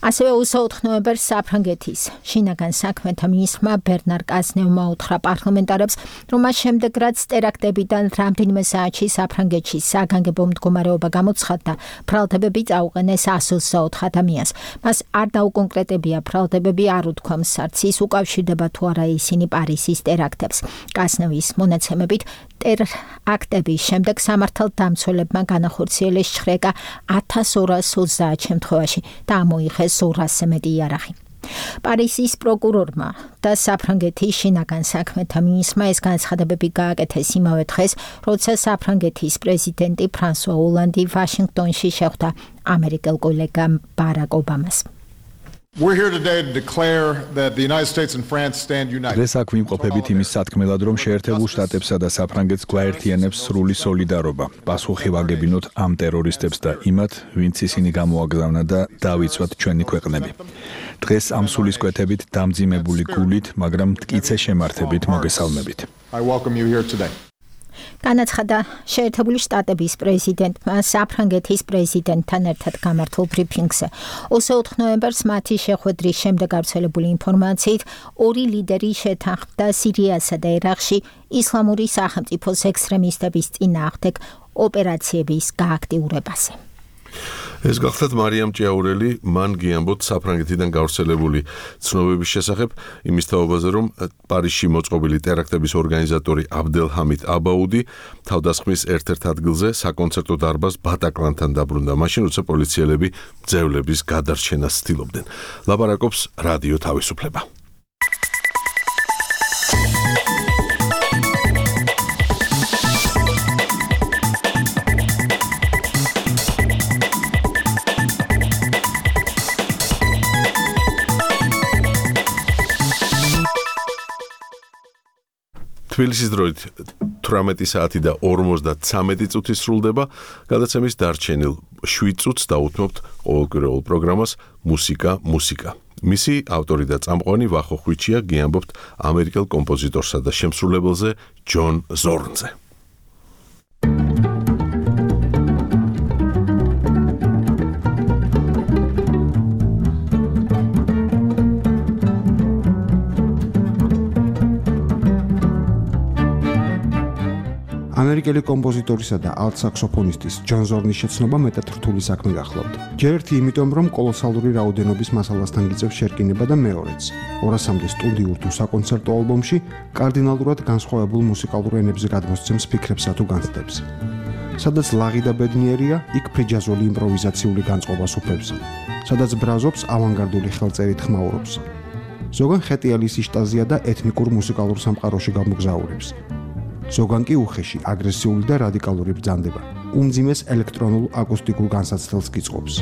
ასევე 24 ნოემბერს საფრანგეთის შინაგან საქმეთა მინისტრმა ბერნარ კაზნევმა უთხრა პარლამენტარებს, რომ მას შემდეგ, რაც ტერაქტებიდან რამდენიმე საათში საფრანგეთში საგანგებო მდგომარეობა გამოცხადდა, ბრალდებები წაუყენეს 124 ადამიანს. მას არ დაუკონკრეტებია ბრალდებები არ უთქვა მსარც ის უკავშირდება თუ არა ისინი პარიზის ტერაქტებს. კაზნევის მონაცემებით, ტერაქტების შემდეგ სამართალდამცველებმა განახორციელეს შხრეკა 1230 შემთხვევაში და მოიხეს 200-ზე მეტი იარაღი. პარიზის პროკურორმა და საფრანგეთის შინაგან საქმეთა მინისტრმა ეს განცხადებები გააკეთეს იმავე დღეს, როცა საფრანგეთის პრეზიდენტი ფრანსუა ოლანდი ვაშინგტონში შეხვდა ამერიკელ კოლეგამ ბარაკ ობამას. We're here today to declare that the United States and France stand united. დღეს აქ ვიმყოფებით იმის სათქმელად, რომ შეერთებულ შტატებსა და საფრანგეთს გვაერთიანებს სრული სოლიდარობა. პასუხი ვაგებინოთ ამ ტერორისტებს და იმათ, ვინც ისინი გამოაგზავნა და დავიცვათ ჩვენი ქვეყნები. დღეს ამ სულისკვეთებით დამძიმებული გულით, მაგრამ მტკიცე შემართებით მოგესალმებით. I welcome you here today. განაცხადა შეერთებული შტატების პრეზიდენტმა საფრანგეთის პრეზიდენტთან ერთად გამართულ ბრიფინგზე. 24 ნოემბერს მათი შეხვედრის შემდეგ გავრცელებული ინფორმაციით, ორი ლიდერი შეთანხმდა სირიასა და ერაყში ისლამური სახელმწიფოს ექსტრემისტების წინააღმდეგ ოპერაციების გააქტიურებაზე. ეს გახლავთ მარიამ ჭიაურელი, მან გიამბოთ საფრანგეთიდან გავრცელებული ცნობების შესახებ იმის თაობაზე, რომ პარიზში მოწყობილი ტერაქტების ორგანიზატორი აბდელჰამიდ აბაუდი თავდასხმის ერთ-ერთ ადგილზე საკონცერტო დარბაზ ბატაკლანთან დაბრუნდა მაშინ, როცა პოლიციელები მძევლების გადარჩენას ცდილობდნენ. ლაპარაკობს რადიო თავისუფლება. თბილისის დროით 18 საათი და 53 წუთი სრულდება. გადაცემის დარჩენილ 7 წუთს დაუთმობთ ყოველკვირეულ პროგრამას მუსიკა. მისი ავტორი და წამყვანი ვახო ხვიჩია, გიამბობთ ამერიკელ კომპოზიტორსა და შემსრულებელზე ჯონ ზორნზე. ამერიკელი კომპოზიტორისა და ალტ-საქსოფონისტის ჯონ ზორნის შეცნობა მეტად რთული საქმე გახლავთ. ჯერ ერთი იმიტომ, რომ კოლოსალური რაოდენობის მასალასთან გიწევს შერკინება და მეორეც, 200-მდე სტუდიურ თუ საკონცერტო ალბომში კარდინალურად განსხვავებულ მუსიკალურ ენებზე გადმოსცემს ფიქრებსა თუ განცდებს. სადაც ლაღი და ბედნიერია, იქ ფრიჯაზული იმპროვიზაციული განწყობას უფლებს. სადაც ბრაზობს ავანგარდული ხელწერით ხმაურობს. ზოგან ხეტიალის იშტაზია და ეთნიკურ მუსიკალურ სამყაროში გამოგზაურებს. ზოგან კი უხეში, აგრესიული და რადიკალური ბრძანდება. უმძიმეს ელექტრონულ აკუსტიკურ განსაცდელს გიწყობს.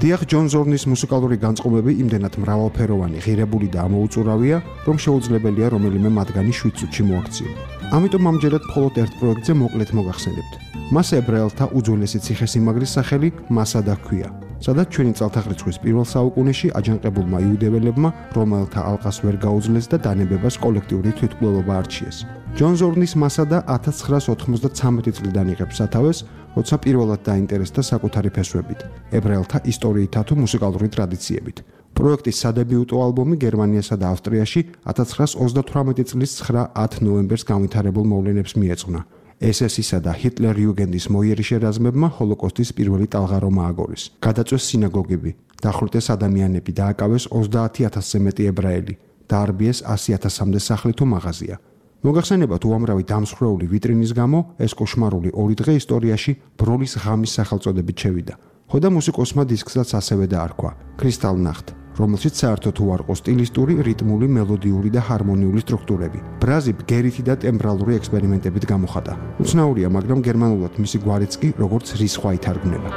დიახ, ჯონ ზორნის მუსიკალური განწყობები იმდენად მრავალფეროვანი, ღირებული და ამოუწურავია, რომ შეუძლებელია რომელიმე მათგანი 7 წუთში მოაქციო. ამიტომ ამჯერად მხოლოდ ერთ პროექტზე მოკლედ მოგახსენებთ. მას ებრაელთა უძველესი ციხესიმაგრის სახელი მასადა ჰქვია, სადაც ჩვენი წელთაღრიცხვის პირველ საუკუნეში აჯანყებულმა იუდეველებმა, რომელთა ალყას ვერ გაუძლეს და დანებებას კოლექტიური თვითმკვლელობა არჩიეს. ჯონ ზორნის მასადა 1993 წლიდან იღებს სათავეს, როცა პირველად დაინტერესდა საკუთარი ფესვებით, ებრაელთა ისტორიითა თუ მუსიკალური ტრადიციებით. პროექტის სადებიუტო ალბომი გერმანიასა და ავსტრიაში 1938 წლის 9-10 ნოემბერს განვითარებულ მოვლენებს მიეძღვნა. SS-ისა და ჰიტლერ-იუგენდის მოიერი შერაზმებმა ჰოლოკოსტის პირველი ტალღარომა ააგორეს. გადაწვეს სინაგოგები, დახვრიტეს ადამიანები და აკავეს 30,000-ზე მეტი ებრაელი, დაარბიეს 100,000-მდე სახლი თუ მაღაზია. მოგახსენებათ უამრავი დამსხვრეული ვიტრინის გამო ეს კოშმარული 2 დღე ისტორიაში ბროლის ღამის სახელწოდებით შევიდა. ხოდა მუსიკოსმა დისკსაც ასევე დაარქვა Crystal Nacht, რომელშიც საერთოდ უარყო სტილისტური, რიტმული, მელოდიური და ჰარმონიული სტრუქტურები. ბრაზი ბგერიthi და ტემბრალური ექსპერიმენტებით გამოხატა. უცნაურია, მაგრამ გერმანულად მისი გვარიც კი როგორც რისხვა ითარგმნება.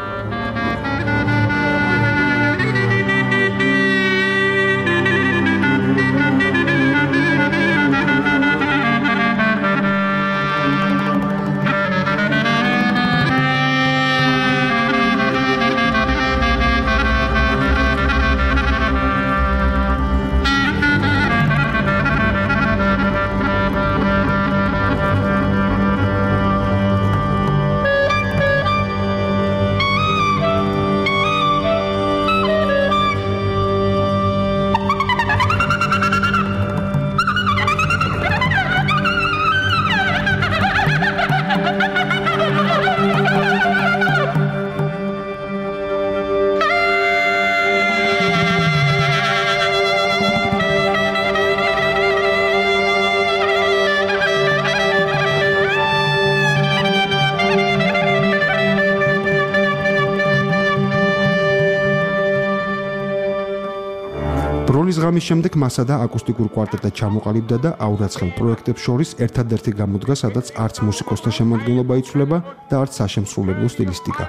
ბროლის ღამის შემდეგ მასადა აკუსტიკურ კვარტეტად ჩამოყალიბდა და აურაცხელ პროექტებს შორის ერთადერთი გამოდგა, სადაც არც მუსიკოსთა შემადგენლობა იცვლება და არც საშემსრულებლო სტილისტიკა.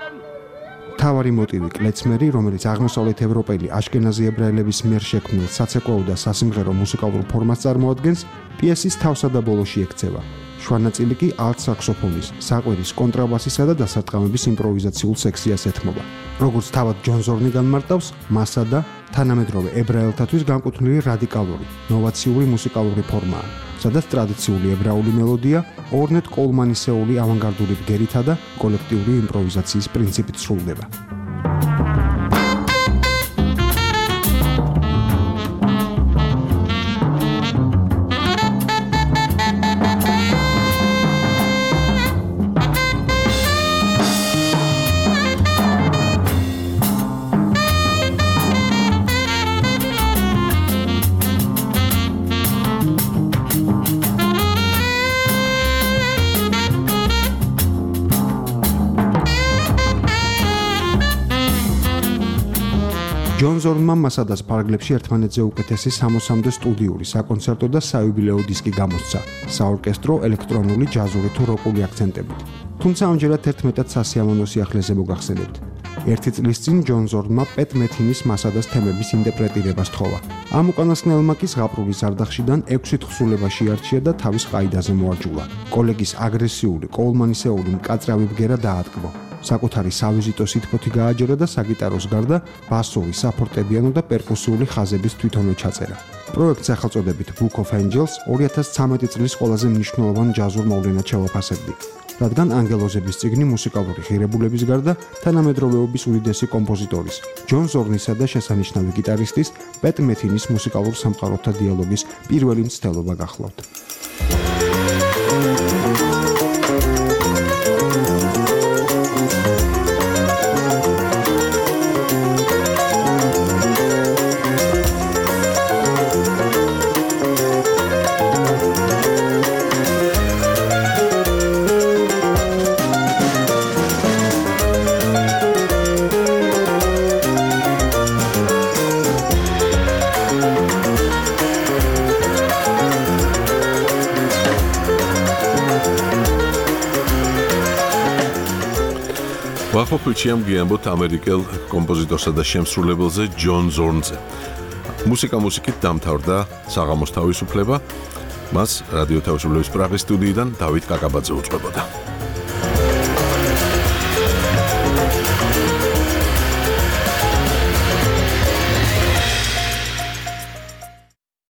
მთავარი მოტივი კლეცმერი, რომელიც აღმოსავლეთ ევროპელი აშკენაზი ებრაელების მიერ შექმნილ საცეკვაო და სასიმღერო მუსიკალურ ფორმას წარმოადგენს, პიესის თავსა და ბოლოში ექცევა. შვანაწილი კი ალტ-საქსოფონის, საყვირის, კონტრაბასისა და დასარტყამების იმპროვიზაციულ სექციას ეთმობა. როგორც თავად ჯონ ზორნი განმარტავს, მასადა თანამედროვე ებრაელთათვის განკუთვნილი რადიკალური, ნოვაციური მუსიკალური ფორმაა, სადაც ტრადიციული ებრაული მელოდია ორნეტ კოლმანისეული ავანგარდული ბგერითა და კოლექტიური იმპროვიზაციის პრინციპით სრულდება. ჯონ ზორნმა მასადას ფარგლებში ერთმანეთზე უკეთესი 60-მდე სტუდიური, საკონცერტო და საიუბილეო დისკი გამოსცა, საორკესტრო, ელექტრონული, ჯაზური თუ როკული აქცენტებით. თუმცა ამჯერად ერთ მეტად სასიამოვნო სიახლეზე მოგახსენებთ. ერთი წლის წინ ჯონ ზორნმა პეტ მეთინის მასადას თემების ინტერპრეტირება სთხოვა. ამ უკანასკნელმა კი ზღაპრულის არდახშიდან 6 თხზულება შეარჩია და თავის ყაიდაზე მოაჯულა. კოლეგის აგრესიული, კოულმანისეული მკაცრავი ბგერა დაატკბო. საკუთარი სავიზიტო სითბოთი გააჯერა და საგიტაროს გარდა ბასოვი, საფორტეპიანო და პერკუსიული ხაზების თვითონვე ჩაწერა. პროექტს სახელწოდებით Book of Angels 2013 წლის ყველაზე მნიშვნელოვან ჯაზურ მოვლენად შევაფასებდი. რადგან ანგელოზების წიგნი მუსიკალური ღირებულების გარდა თანამედროვეობის უდიდესი კომპოზიტორის, ჯონ ზორნისა და შესანიშნავი გიტარისტის პეტ მეთინის მუსიკალურ სამყაროთა დიალოგის პირველი მცდელობა გახლავთ. ვახოფილში ამგიანებთ ამერიკელ კომპოზიტორსა და შემსრულებელზე ჯონ ზორნზე. მუსიკით დამთავრდა საღამოს თავისუფლება. მას რადიო თავისუფლების პრაღის სტუდიიდან დავით კაკაბაძე უწყებოდა.